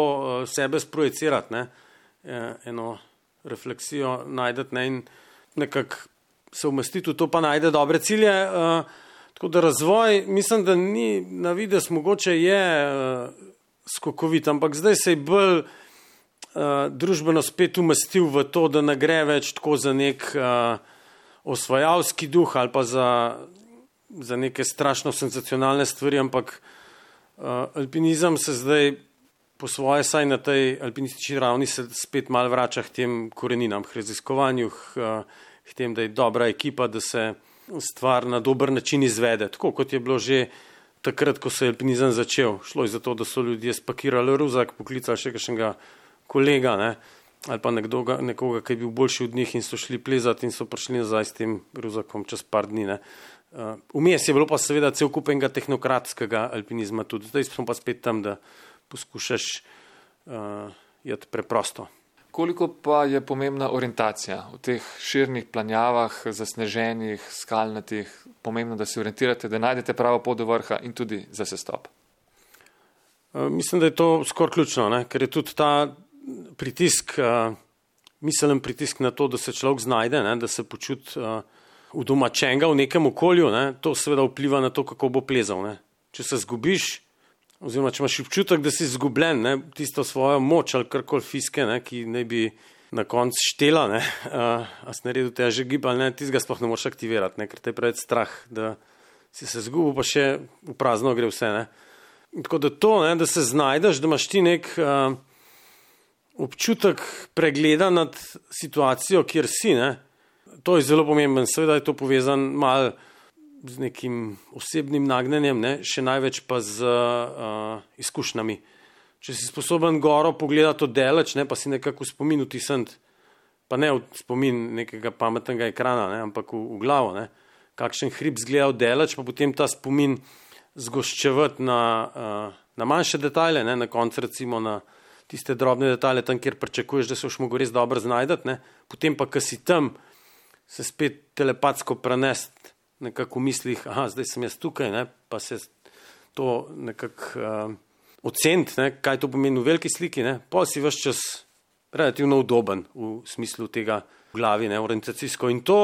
sebe sprojecirati, eno refleksijo najdeti in nekako se umestiti v to, pa najde dobre cilje. Tako da razvoj, mislim, da ni na vides, mogoče je skokovit, ampak zdaj se je bolj družbeno spet umestil v to, da ne gre več tako za nek osvajalski duh ali pa za neke strašno senzacionalne stvari, ampak alpinizem se zdaj po svoje, saj na tej alpinistični ravni se spet malo vrača k tem koreninam, k raziskovanju, k tem, da je dobra ekipa, da se stvar na dober način izvede, tako kot je bilo že takrat, ko se je alpinizem začel. Šlo je za to, da so ljudje spakirali ruzak, poklicali še kakšnega kolega, ali pa nekoga, ki je bil boljši od njih in so šli plezati in so prišli nazaj s tem ruzakom čez par dni. Vmes je bilo pa seveda cel kup enega tehnokratskega alpinizma tudi. Zdaj smo pa spet tam, da poskušaš jeti preprosto. Koliko pa je pomembna orientacija v teh širnih planjavah, zasneženih, skalnatih, pomembno, da se orientirate, da najdete pravo pot do vrha in tudi za sestop? Mislim, da je to skoraj ključno, ne? Ker je tudi ta pritisk, miselen pritisk na to, da se človek znajde, ne? Da se počuti udomačenega v nekem okolju, ne? To seveda vpliva na to, kako bo plezal. Ne? Če se zgubiš, oziroma če imaš občutek, da si izgubljen, ne? Tisto svojo moč ali karkoli fiske, ne? Ki naj bi na koncu štela, ne? A si naredil težek gib ali ne, tistega sploh ne moreš aktivirati, ne? Ker te je preveč strah, da si se zgubil, pa še v prazno gre vse. Ne? Tako da to, ne? Da se znajdeš, da imaš ti nek občutek pregleda nad situacijo, kjer si, ne? To je zelo pomemben, seveda je to povezan malo z nekim osebnim nagnjenjem, ne? Še največ pa z izkušnjami. Če si sposoben goro pogledati oddaleč, ne? Pa si nekako v spomin vtisniti, pa ne v spomin nekega pametnega ekrana, ne? Ampak v glavo, ne? Kakšen hrib zgleda oddaleč, pa potem ta spomin zgoščevati na manjše detajle, ne? Na koncu recimo na tiste drobne detajle, tam, kjer pričakuješ, da se boš mogel res dobro znajdati, ne? Potem pa, ko si tam, se spet telepatsko prenesti nekako v mislih, zdaj sem jaz tukaj, ne? Pa se to nekako oceniti, ne? Kaj to pomeni v veliki sliki, ne? Pa si ves čas relativno udoben v smislu tega v glavi, ne? Orientacijsko. In to,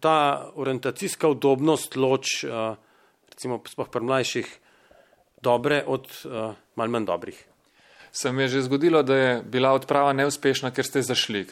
ta orientacijska udobnost loč, recimo sploh pri mlajših, dobre od malo manj dobrih. Se mi je že zgodilo, da je bila odprava neuspešna, ker ste šli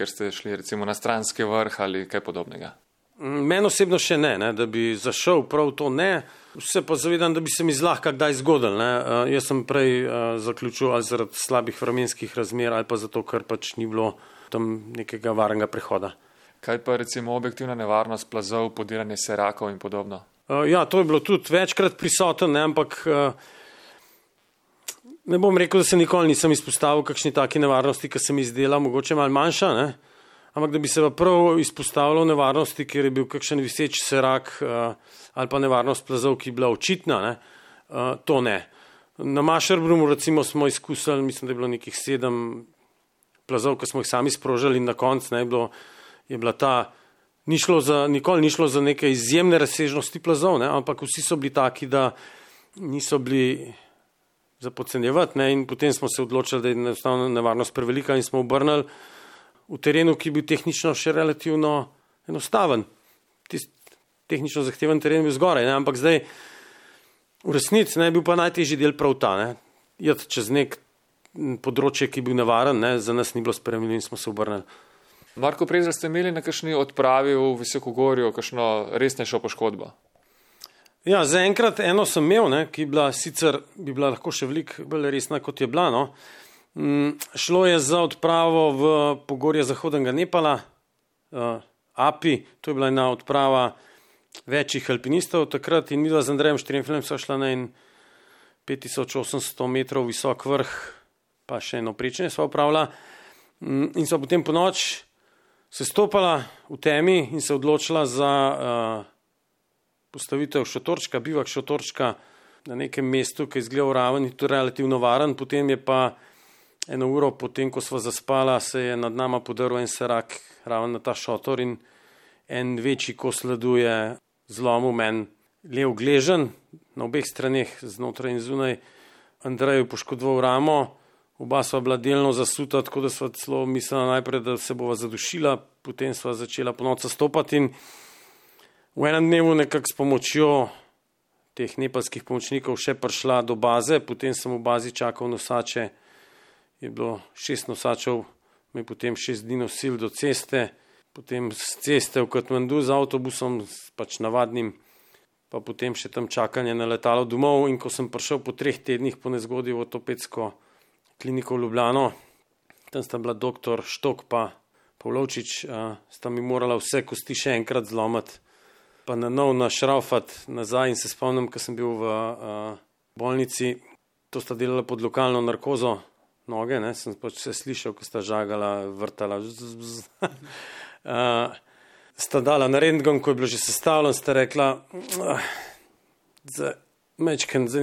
recimo na stranski vrh ali kaj podobnega? Meni osebno še ne, da bi zašel prav to ne, se pa zavedam, da bi se mi zlahka kdaj zgodil. Ne? Jaz sem prej zaključil ali zaradi slabih vremenskih razmer ali pa zato, ker pač ni bilo tam nekega varnega prehoda. Kaj pa recimo objektivna nevarnost plazov, podiranje serakov in podobno? Ja, to je bilo tudi večkrat prisoten, ne? Ampak ne bom rekel, da se nikoli nisem izpostavil kakšni taki nevarnosti, ki se mi zdela mogoče malo manjša, ne? Ampak da bi se pa prav izpostavilo nevarnosti, kjer je bil kakšen viseč serak ali pa nevarnost plazov, ki je bila očitna, ne? To ne. Na Mascherbrumu recimo smo izkusili, mislim, da je bilo nekih 7 plazov, ki smo jih sami sprožili in na koncu je bila ta, nikoli ni šlo za neke izjemne razsežnosti plazov, ne? Ampak vsi so bili taki, da niso bili za podcenjevati, ne? In potem smo se odločili, da je enostavno nevarnost prevelika in smo obrnili v terenu, ki je bil tehnično še relativno enostaven. Tehnično zahteven teren je bil zgoraj, ne? Ampak zdaj v resnici je bil pa najtežji del prav ta, ne? Jeti čez nek področje, ki je bil nevaren, ne? Za nas ni bilo sprejemljivo in smo se obrnili. Marko Prezelj, ste imeli na kakšni odpravi v Visokogorju kakšno resnejšo poškodbo? Ja, zaenkrat eno sem imel, ne, ki bi bila lahko še veliko bolj resna, kot je bila. No. Šlo je za odpravo v pogorje zahodnega Nepala, Api, to je bila ena odprava večjih alpinistov takrat in midva z Andrejem Štremfeljem sva šla na en 5800 metrov visok vrh, pa še eno prečenje sva opravila in sva potem po noč se stopala v temi in se odločila za postavitev šotorčka, bivak šotorčka na nekem mestu, ki je izgledal raven in to relativno varen. Potem je pa 1 uro potem, ko sva zaspala, se je nad nama podrl en serak raven na ta šotor in en večji kos ledu je zlomil meni lev gleženj na obeh straneh, znotraj in zunaj. Andreju poškodoval ramo, oba sva bila delno zasuta, tako da sva celo mislila najprej, da se bova zadušila, potem sva začela ponovno stopati in v enem dnevu nekako s pomočjo teh nepalskih pomočnikov še prišla do baze, potem sem v bazi čakal nosače, je bilo 6 nosačev, me potem 6 dni nosil do ceste, potem z ceste v Katmandu z avtobusom, pač navadnim, pa potem še tam čakanje na letalo domov in ko sem prišel po 3 tednih po nezgodi v ortopedsko kliniko v Ljubljano, tam sta bila doktor Štok pa Pavlovčič, sta mi morala vse kosti še enkrat zlomati, pa na nov našraufati nazaj in se spomnim, ko sem bil v bolnici, to sta delala pod lokalno narkozo noge, ne, sem pač vse slišal, ko sta žagala, vrtala, sta dala na rentgen, ko je bilo že sestavljeno, sta rekla, za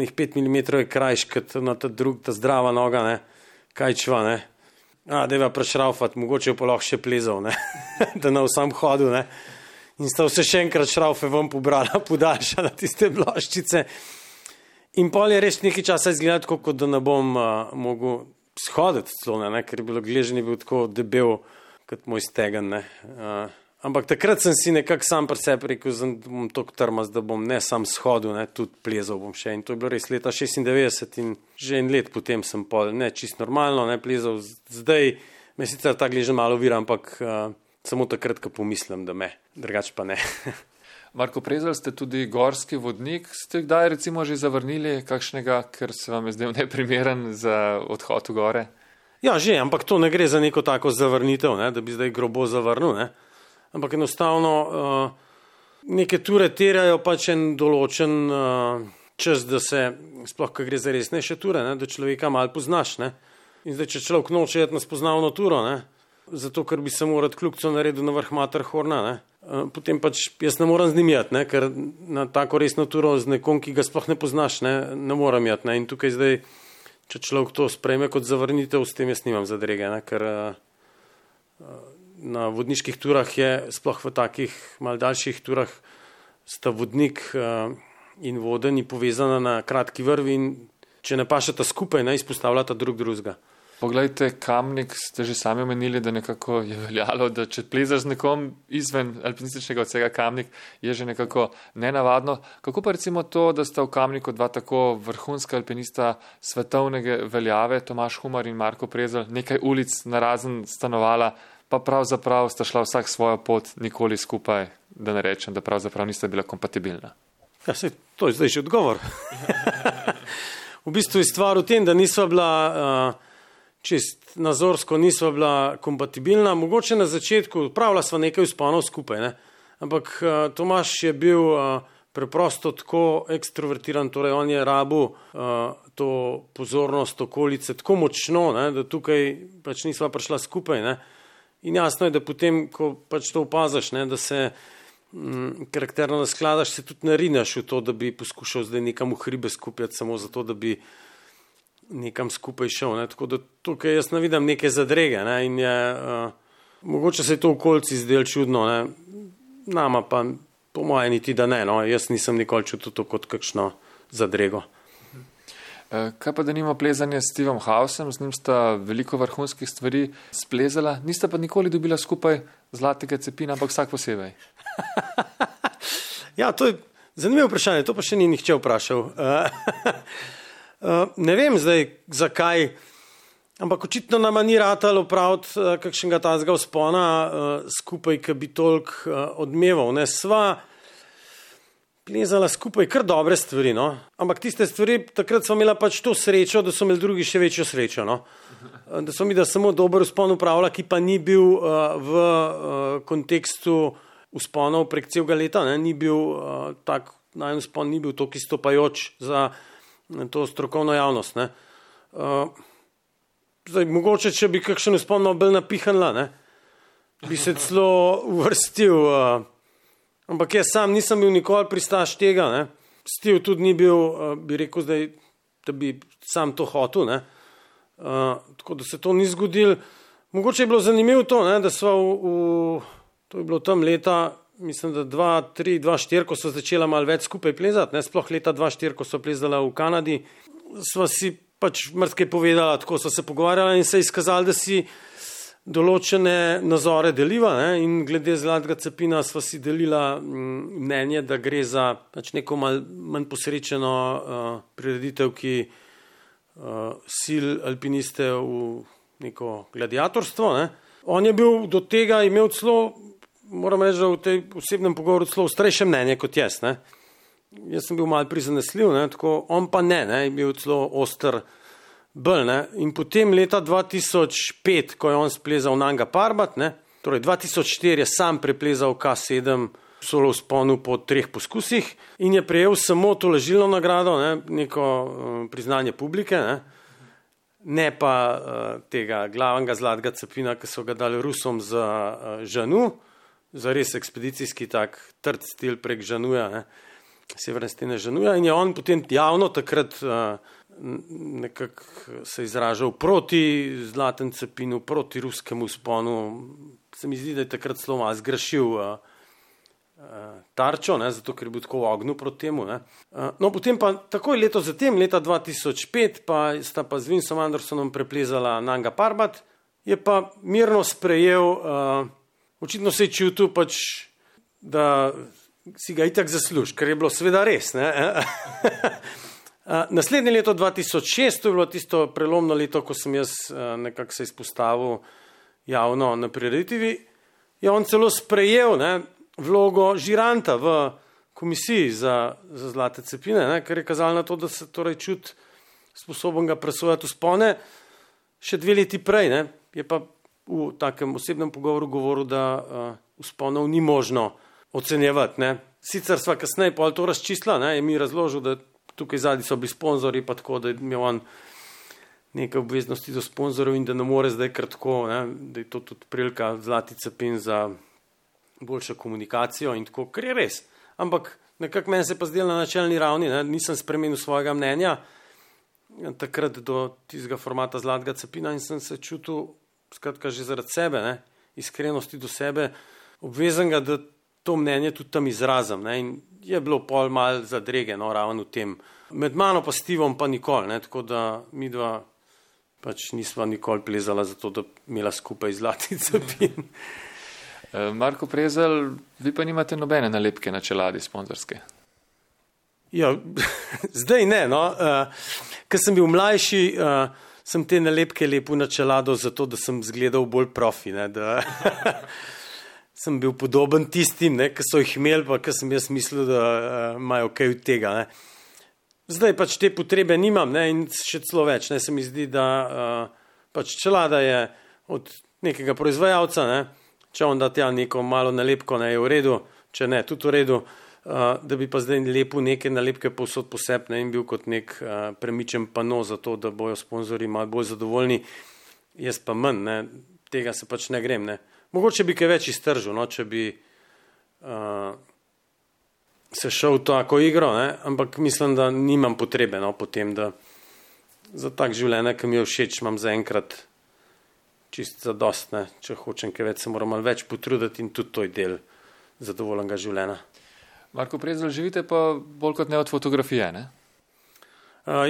njih 5 mm je krajš, kot na ta zdrava noga, ne, kaj čva, ne. Deva prešraufati, mogoče pa lahko še plezal, ne? Da na vsem hodu, ne? In sta vse še enkrat šraufe ven pobrala, podaljšala tiste ploščice. In pol je res nekaj časa izgledati, kot da ne bom mogel shoditi celo, ne? Ker je bilo gleženje bil tako debel, kot moj stegen, ne? Ampak takrat sem si nekako sam pri sebi rekel, da bom toliko trmast, da bom ne sam shodil, ne, tudi plezal bom še. In to je bilo res leta 96 in že en let potem sem ne čist normalno, ne, plezal. Zdaj me sicer ta gležen malo vira, ampak samo takrat, ko pomislim, da me, drugače pa ne. Marko Prezelj, ste tudi gorski vodnik. Ste kdaj recimo že zavrnili kakšnega, ker se vam je zdel neprimeren za odhod v gore? Ja, že, ampak to ne gre za neko tako zavrnitev, ne, da bi zdaj grobo zavrnil, ne. Ampak enostavno neke ture terajo pač en določen čas, da se, sploh ko gre za resnejše ture, ne, da človeka malo poznaš. Ne. In zdaj, če človek noče iti na spoznavno turo, ne, zato ker bi se moral kljukco naredil na vrh Matterhorna, ne, potem pač jaz ne moram z njim jeti, ne, ker na tako resno turo z nekom, ki ga sploh ne poznaš, ne moram jeti. Ne. In tukaj zdaj, če človek to sprejme kot zavrnitev, s tem jaz nimam zadrege, ne, ker na vodniških turah je, sploh v takih mal daljših turah, sta vodnik in vodenj povezana na kratki vrvi in če ne pašeta skupaj, ne izpostavljata drug drugega. Poglejte, Kamnik ste že sami omenili, da nekako je veljalo, da če plezaš z nekom izven alpinističnega odseka Kamnik, je že nekako nenavadno. Kako pa recimo to, da sta v Kamniku dva tako vrhunska alpinista svetovnega veljave, Tomaž Humar in Marko Prezelj, nekaj ulic narazen stanovala, pa pravzaprav sta šla vsak svojo pot, nikoli skupaj, da ne rečem, da pravzaprav nista bila kompatibilna. Ja, sej, to je zdaj že odgovor. V bistvu je stvar v tem, da nisva bila čist nazorsko, nisva bila kompatibilna. Mogoče na začetku pravila sva nekaj vzponov skupaj, ne? Ampak Tomaž je bil preprosto tako ekstrovertiran, torej on je rabil to pozornost okolice tako močno, ne? Da tukaj pač nisva prišla skupaj, ne? In jasno je, da potem, ko pač to opaziš, ne, da se karakterno naskladaš, se tudi narinaš v to, da bi poskušal zdaj nekam v hribe skupjati, samo zato, da bi nekam skupaj šel. Ne. Tako da tukaj jaz ne vidim neke zadrege, ne, in je, mogoče se je to v okolici zdelo čudno, ne. Nama pa po moje niti da ne, no. Jaz nisem nikoli čutil to kot kakšno zadrego. Kaj pa da nima plezanje s Stevom Hausom, z njim sta veliko vrhunskih stvari splezala, nista pa nikoli dobila skupaj zlatega cepina, ampak vsak posebej. Ja, to je zanimivo vprašanje, to pa še ni nihče vprašal. Ne vem zdaj, zakaj, ampak očitno nama ni ratalo opraviti kakšnega tazga vzpona skupaj, ki bi toliko odmeval. Ne, sva plezala skupaj kar dobre stvari, no. Ampak tiste stvari, takrat smo imela pač to srečo, da so imeli drugi še večjo srečo, no. Da smo mi da samo dober vzpon upravila, ki pa ni bil v kontekstu vzponov prek celega leta, ne, ni bil tak, najmen vzpon ni bil toliko izstopajoč za to strokovno javnost, ne. Zdaj, mogoče, če bi kakšen vzpon malo bolj napihanila, ne, bi se celo uvrstil, ampak jaz sam nisem bil nikoli pristaš tega, ne. Steve tudi ni bil, bi rekel zdaj, da bi sam to hotel, ne. Tako da se to ni zgodilo. Mogoče je bilo zanimivo to, ne, da sva to je bilo tam leta, mislim, da 2003-2004, ko so začela malo več skupaj plezati, ne, sploh leta 2004, ko so plezala v Kanadi, sva si pač marsikaj povedala, tako so se pogovarjala in se izkazali, da si določene nazore deliva, ne, in glede zlatega cepina sva si delila mnenje, da gre za pač neko manj posrečeno prireditev, ki sil alpiniste v neko gladiatorstvo, ne. On je bil do tega imel celo, moram reči, da v tej osebnem pogovoru celo ostrejše mnenje kot jaz, ne. Jaz sem bil malo prizanesljiv, ne, tako on pa ne, je bil celo oster bolj, ne. In potem leta 2005, ko je on splezal Nanga Parbat, ne, torej 2004 je sam preplezal K7 solo vzponu po 3 poskusih in je prejel samo to lažilno nagrado, ne, neko priznanje publike, ne pa tega glavnega zlatega cepina, ki so ga dali Rusom za Žanu, za res ekspedicijski tak trd stil prek Žanuja, ne, severne stene Žanuja, in je on potem javno takrat nekako se izražal proti Zlatem cepinu, proti ruskemu vzponu. Se mi zdi, da je takrat zelo malo zgrešil tarčo, ne, zato ker je bil tako v ognju proti temu. Ne. No, potem pa takoj leto zatem, leta 2005, pa sta pa z Vinsom Andersonom preplezala Nanga Parbat, je pa mirno sprejel, očitno se je čutil pač, da si ga itak zasluži, ker je bilo seveda res. Ne. Naslednje leto 2006, to je bilo tisto prelomno leto, ko sem jaz nekako se izpostavil javno na prireditvi, je on celo sprejel, ne, vlogo žiranta v komisiji za Zlate cepine, ne, ker je kazalo na to, da se torej čuti sposoben ga presojati vzpone. Še 2 leti prej, ne, je pa v takem osebnem pogovoru govoril, da vzponov ni možno ocenjevati. Ne. Sicer sva kasneje pol to razčistila, ne, je mi razložil, da tukaj zadnji so bili sponzorji, pa tako, da je imel on nekaj obveznosti do sponzorjev in da ne more zdaj kar tako, ne, da je to tudi prilika Zlati cepin za boljšo komunikacijo in tako, kar je res. Ampak nekako meni se pa zdelo na načelni ravni, ne, nisem spremenil svojega mnenja takrat do tistega formata Zlatega cepina in sem se čutil, skratka, že zaradi sebe, ne, iskrenosti do sebe, obvezenega, da to mnenje tudi tam izrazim. Ne, in je bilo pol mal zadrege, no, ravno v tem. Med mano pa Stevom pa nikoli, ne, tako da mi dva pač nisva nikoli plezala za to, da imela skupaj Zlati cepin. Marko Prezelj, vi pa nimate nobene nalepke na čeladi sponzorske? Ja, zdaj ne, no. Ker sem bil mlajši, sem te nalepke lepil na čelado zato, da sem zgledal bolj profi, ne, da sem bil podoben tistim, ne, ki so jih imeli, pa ker sem jaz mislil, da imajo kaj od tega. Ne. Zdaj pač te potrebe nimam, ne, in še celo več. Ne, se mi zdi, da pač čelada je od nekega proizvajalca, ne, če on da tja neko malo nalepko, ne, je v redu, če ne, tudi v redu, da bi pa zdaj lepil neke nalepke povsod posebne in bil kot nek premičen pano za to, da bojo sponzorji malo bolj zadovoljni, jaz pa manj, ne, tega se pač ne grem, ne. Mogoče bi kaj več iztržil, no, če bi se šel v tako igro, ne, ampak mislim, da nimam potrebe, no, potem, da za tak življenje, ki mi je všeč, imam zaenkrat čist zadost, ne, če hočem kaj več, se moram malo več potruditi in tudi to je del zadovoljnega življenja. Marko Prezelj, živite pa bolj kot ne od fotografije, ne?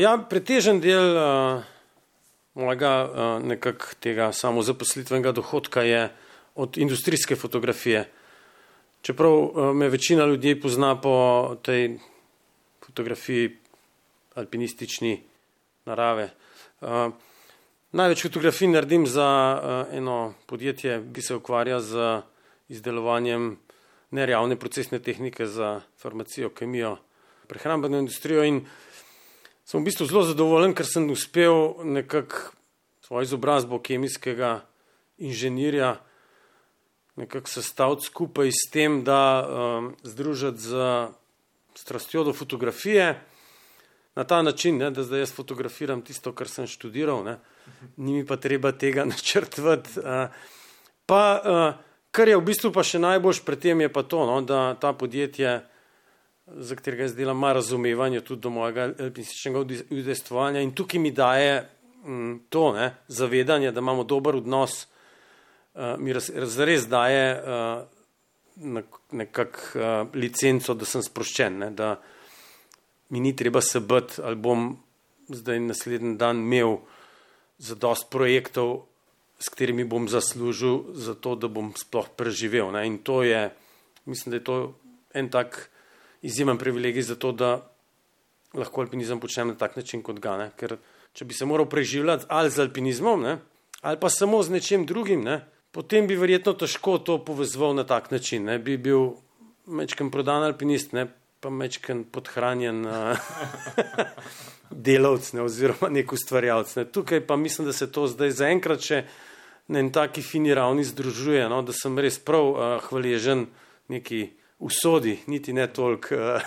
Ja, pretežen del mojega nekak tega samozaposlitvenega dohodka je od industrijske fotografije. Čeprav me večina ljudi pozna po tej fotografiji alpinistični narave. Največ fotografij naredim za eno podjetje, ki se ukvarja z izdelovanjem nerealne procesne tehnike za farmacijo, kemijo, prehrambeno industrijo in sem v bistvu zelo zadovoljen, ker sem uspel nekako svojo izobrazbo kemijskega inženirja nekako sestaviti skupaj s tem, da združiti z strastjo do fotografije na ta način, ne, da zdaj jaz fotografiram tisto, kar sem študiral, ne, ni mi pa treba tega načrtovati. Pa kar je v bistvu pa še najboljš pri tem je pa to, no, da ta podjetje, za katerega jaz delam, ima razumevanje tudi do mojega alpinističnega udejstvovanja in tukaj mi daje to, ne, zavedanje, da imamo dober odnos, mi zares daje nekako licenco, da sem sproščen, ne, da mi ni treba se bati, ali bom zdaj naslednji dan imel zadost projektov, s katerimi bom zaslužil za to, da bom sploh preživel. Ne. In to je, mislim, da je to en tak izjemen privilegij za to, da lahko alpinizem počnem na tak način kot ga. Ne. Ker če bi se moral preživljati ali z alpinizmom, ne, ali pa samo z nečim drugim, ne, potem bi verjetno težko to povezoval na tak način. Ne. Bi bil mečken prodan alpinist, ne, pa mečken podhranjen delavc, ne, oziroma nek ustvarjalec. Ne. Tukaj pa mislim, da se to zdaj zaenkrat še na en taki fini ravni združuje, no, da sem res prav hvaležen neki usodi, niti ne toliko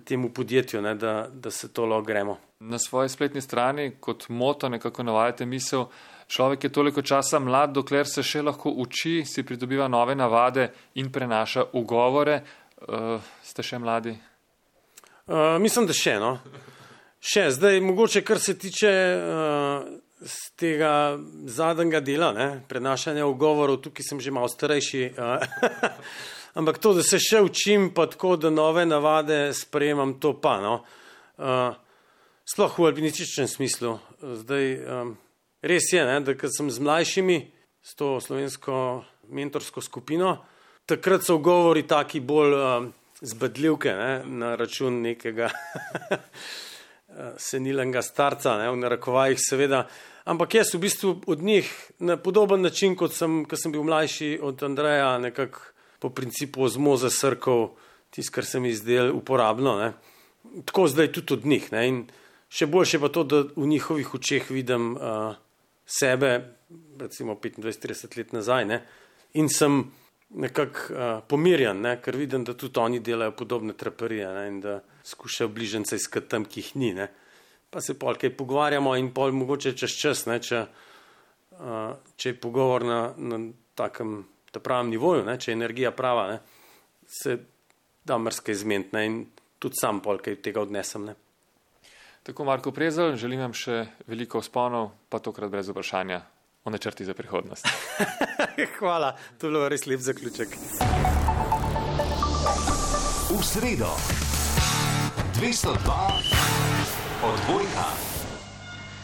temu podjetju, ne, da se to lahko gremo. Na svoji spletni strani kot moto nekako navajate misel, človek je toliko časa mlad, dokler se še lahko uči, si pridobiva nove navade in prenaša ugovore. Ste še mladi? Mislim, da še, no. Še zdaj, mogoče kar se tiče z tega zadnjega dela, prenašanja ugovorov, tukaj sem že malo starejši, ampak to, da se še učim, pa tako, da nove navade sprejemam, to pa, no. Sploh v alpinističnem smislu. Zdaj, res je, da kad sem z mlajšimi, s to slovensko mentorsko skupino, takrat so ugovori taki bolj zbadljivke, na račun nekega senilnega starca, v narekovajih seveda, ampak jaz v bistvu od njih na podoben način, kot sem bil mlajši od Andreja, nekako po principu ozmoze srkov, tisto, kar se mi zdelo uporabno, tako zdaj tudi od njih, in še boljše pa to, da v njihovih očeh vidim sebe, recimo 25-30 let nazaj, in sem nekako pomirjan, ker vidim, da tudi oni delajo podobne traparije, in da skušajo bližnjice iskati tam, ki jih ni, pa se pol kaj pogovarjamo in pol mogoče čez čas, če je pogovor na takem pravem nivoju, če je energija prava, se da marsikaj zmeniti, in tudi sam pol kaj tega odnesem. Tako, Marko Prezelj, želim vam še veliko vzponov, pa tokrat brez vprašanja o načrti za prihodnost. Hvala, to je bilo res lep zaključek. V sredo 202 odbojka.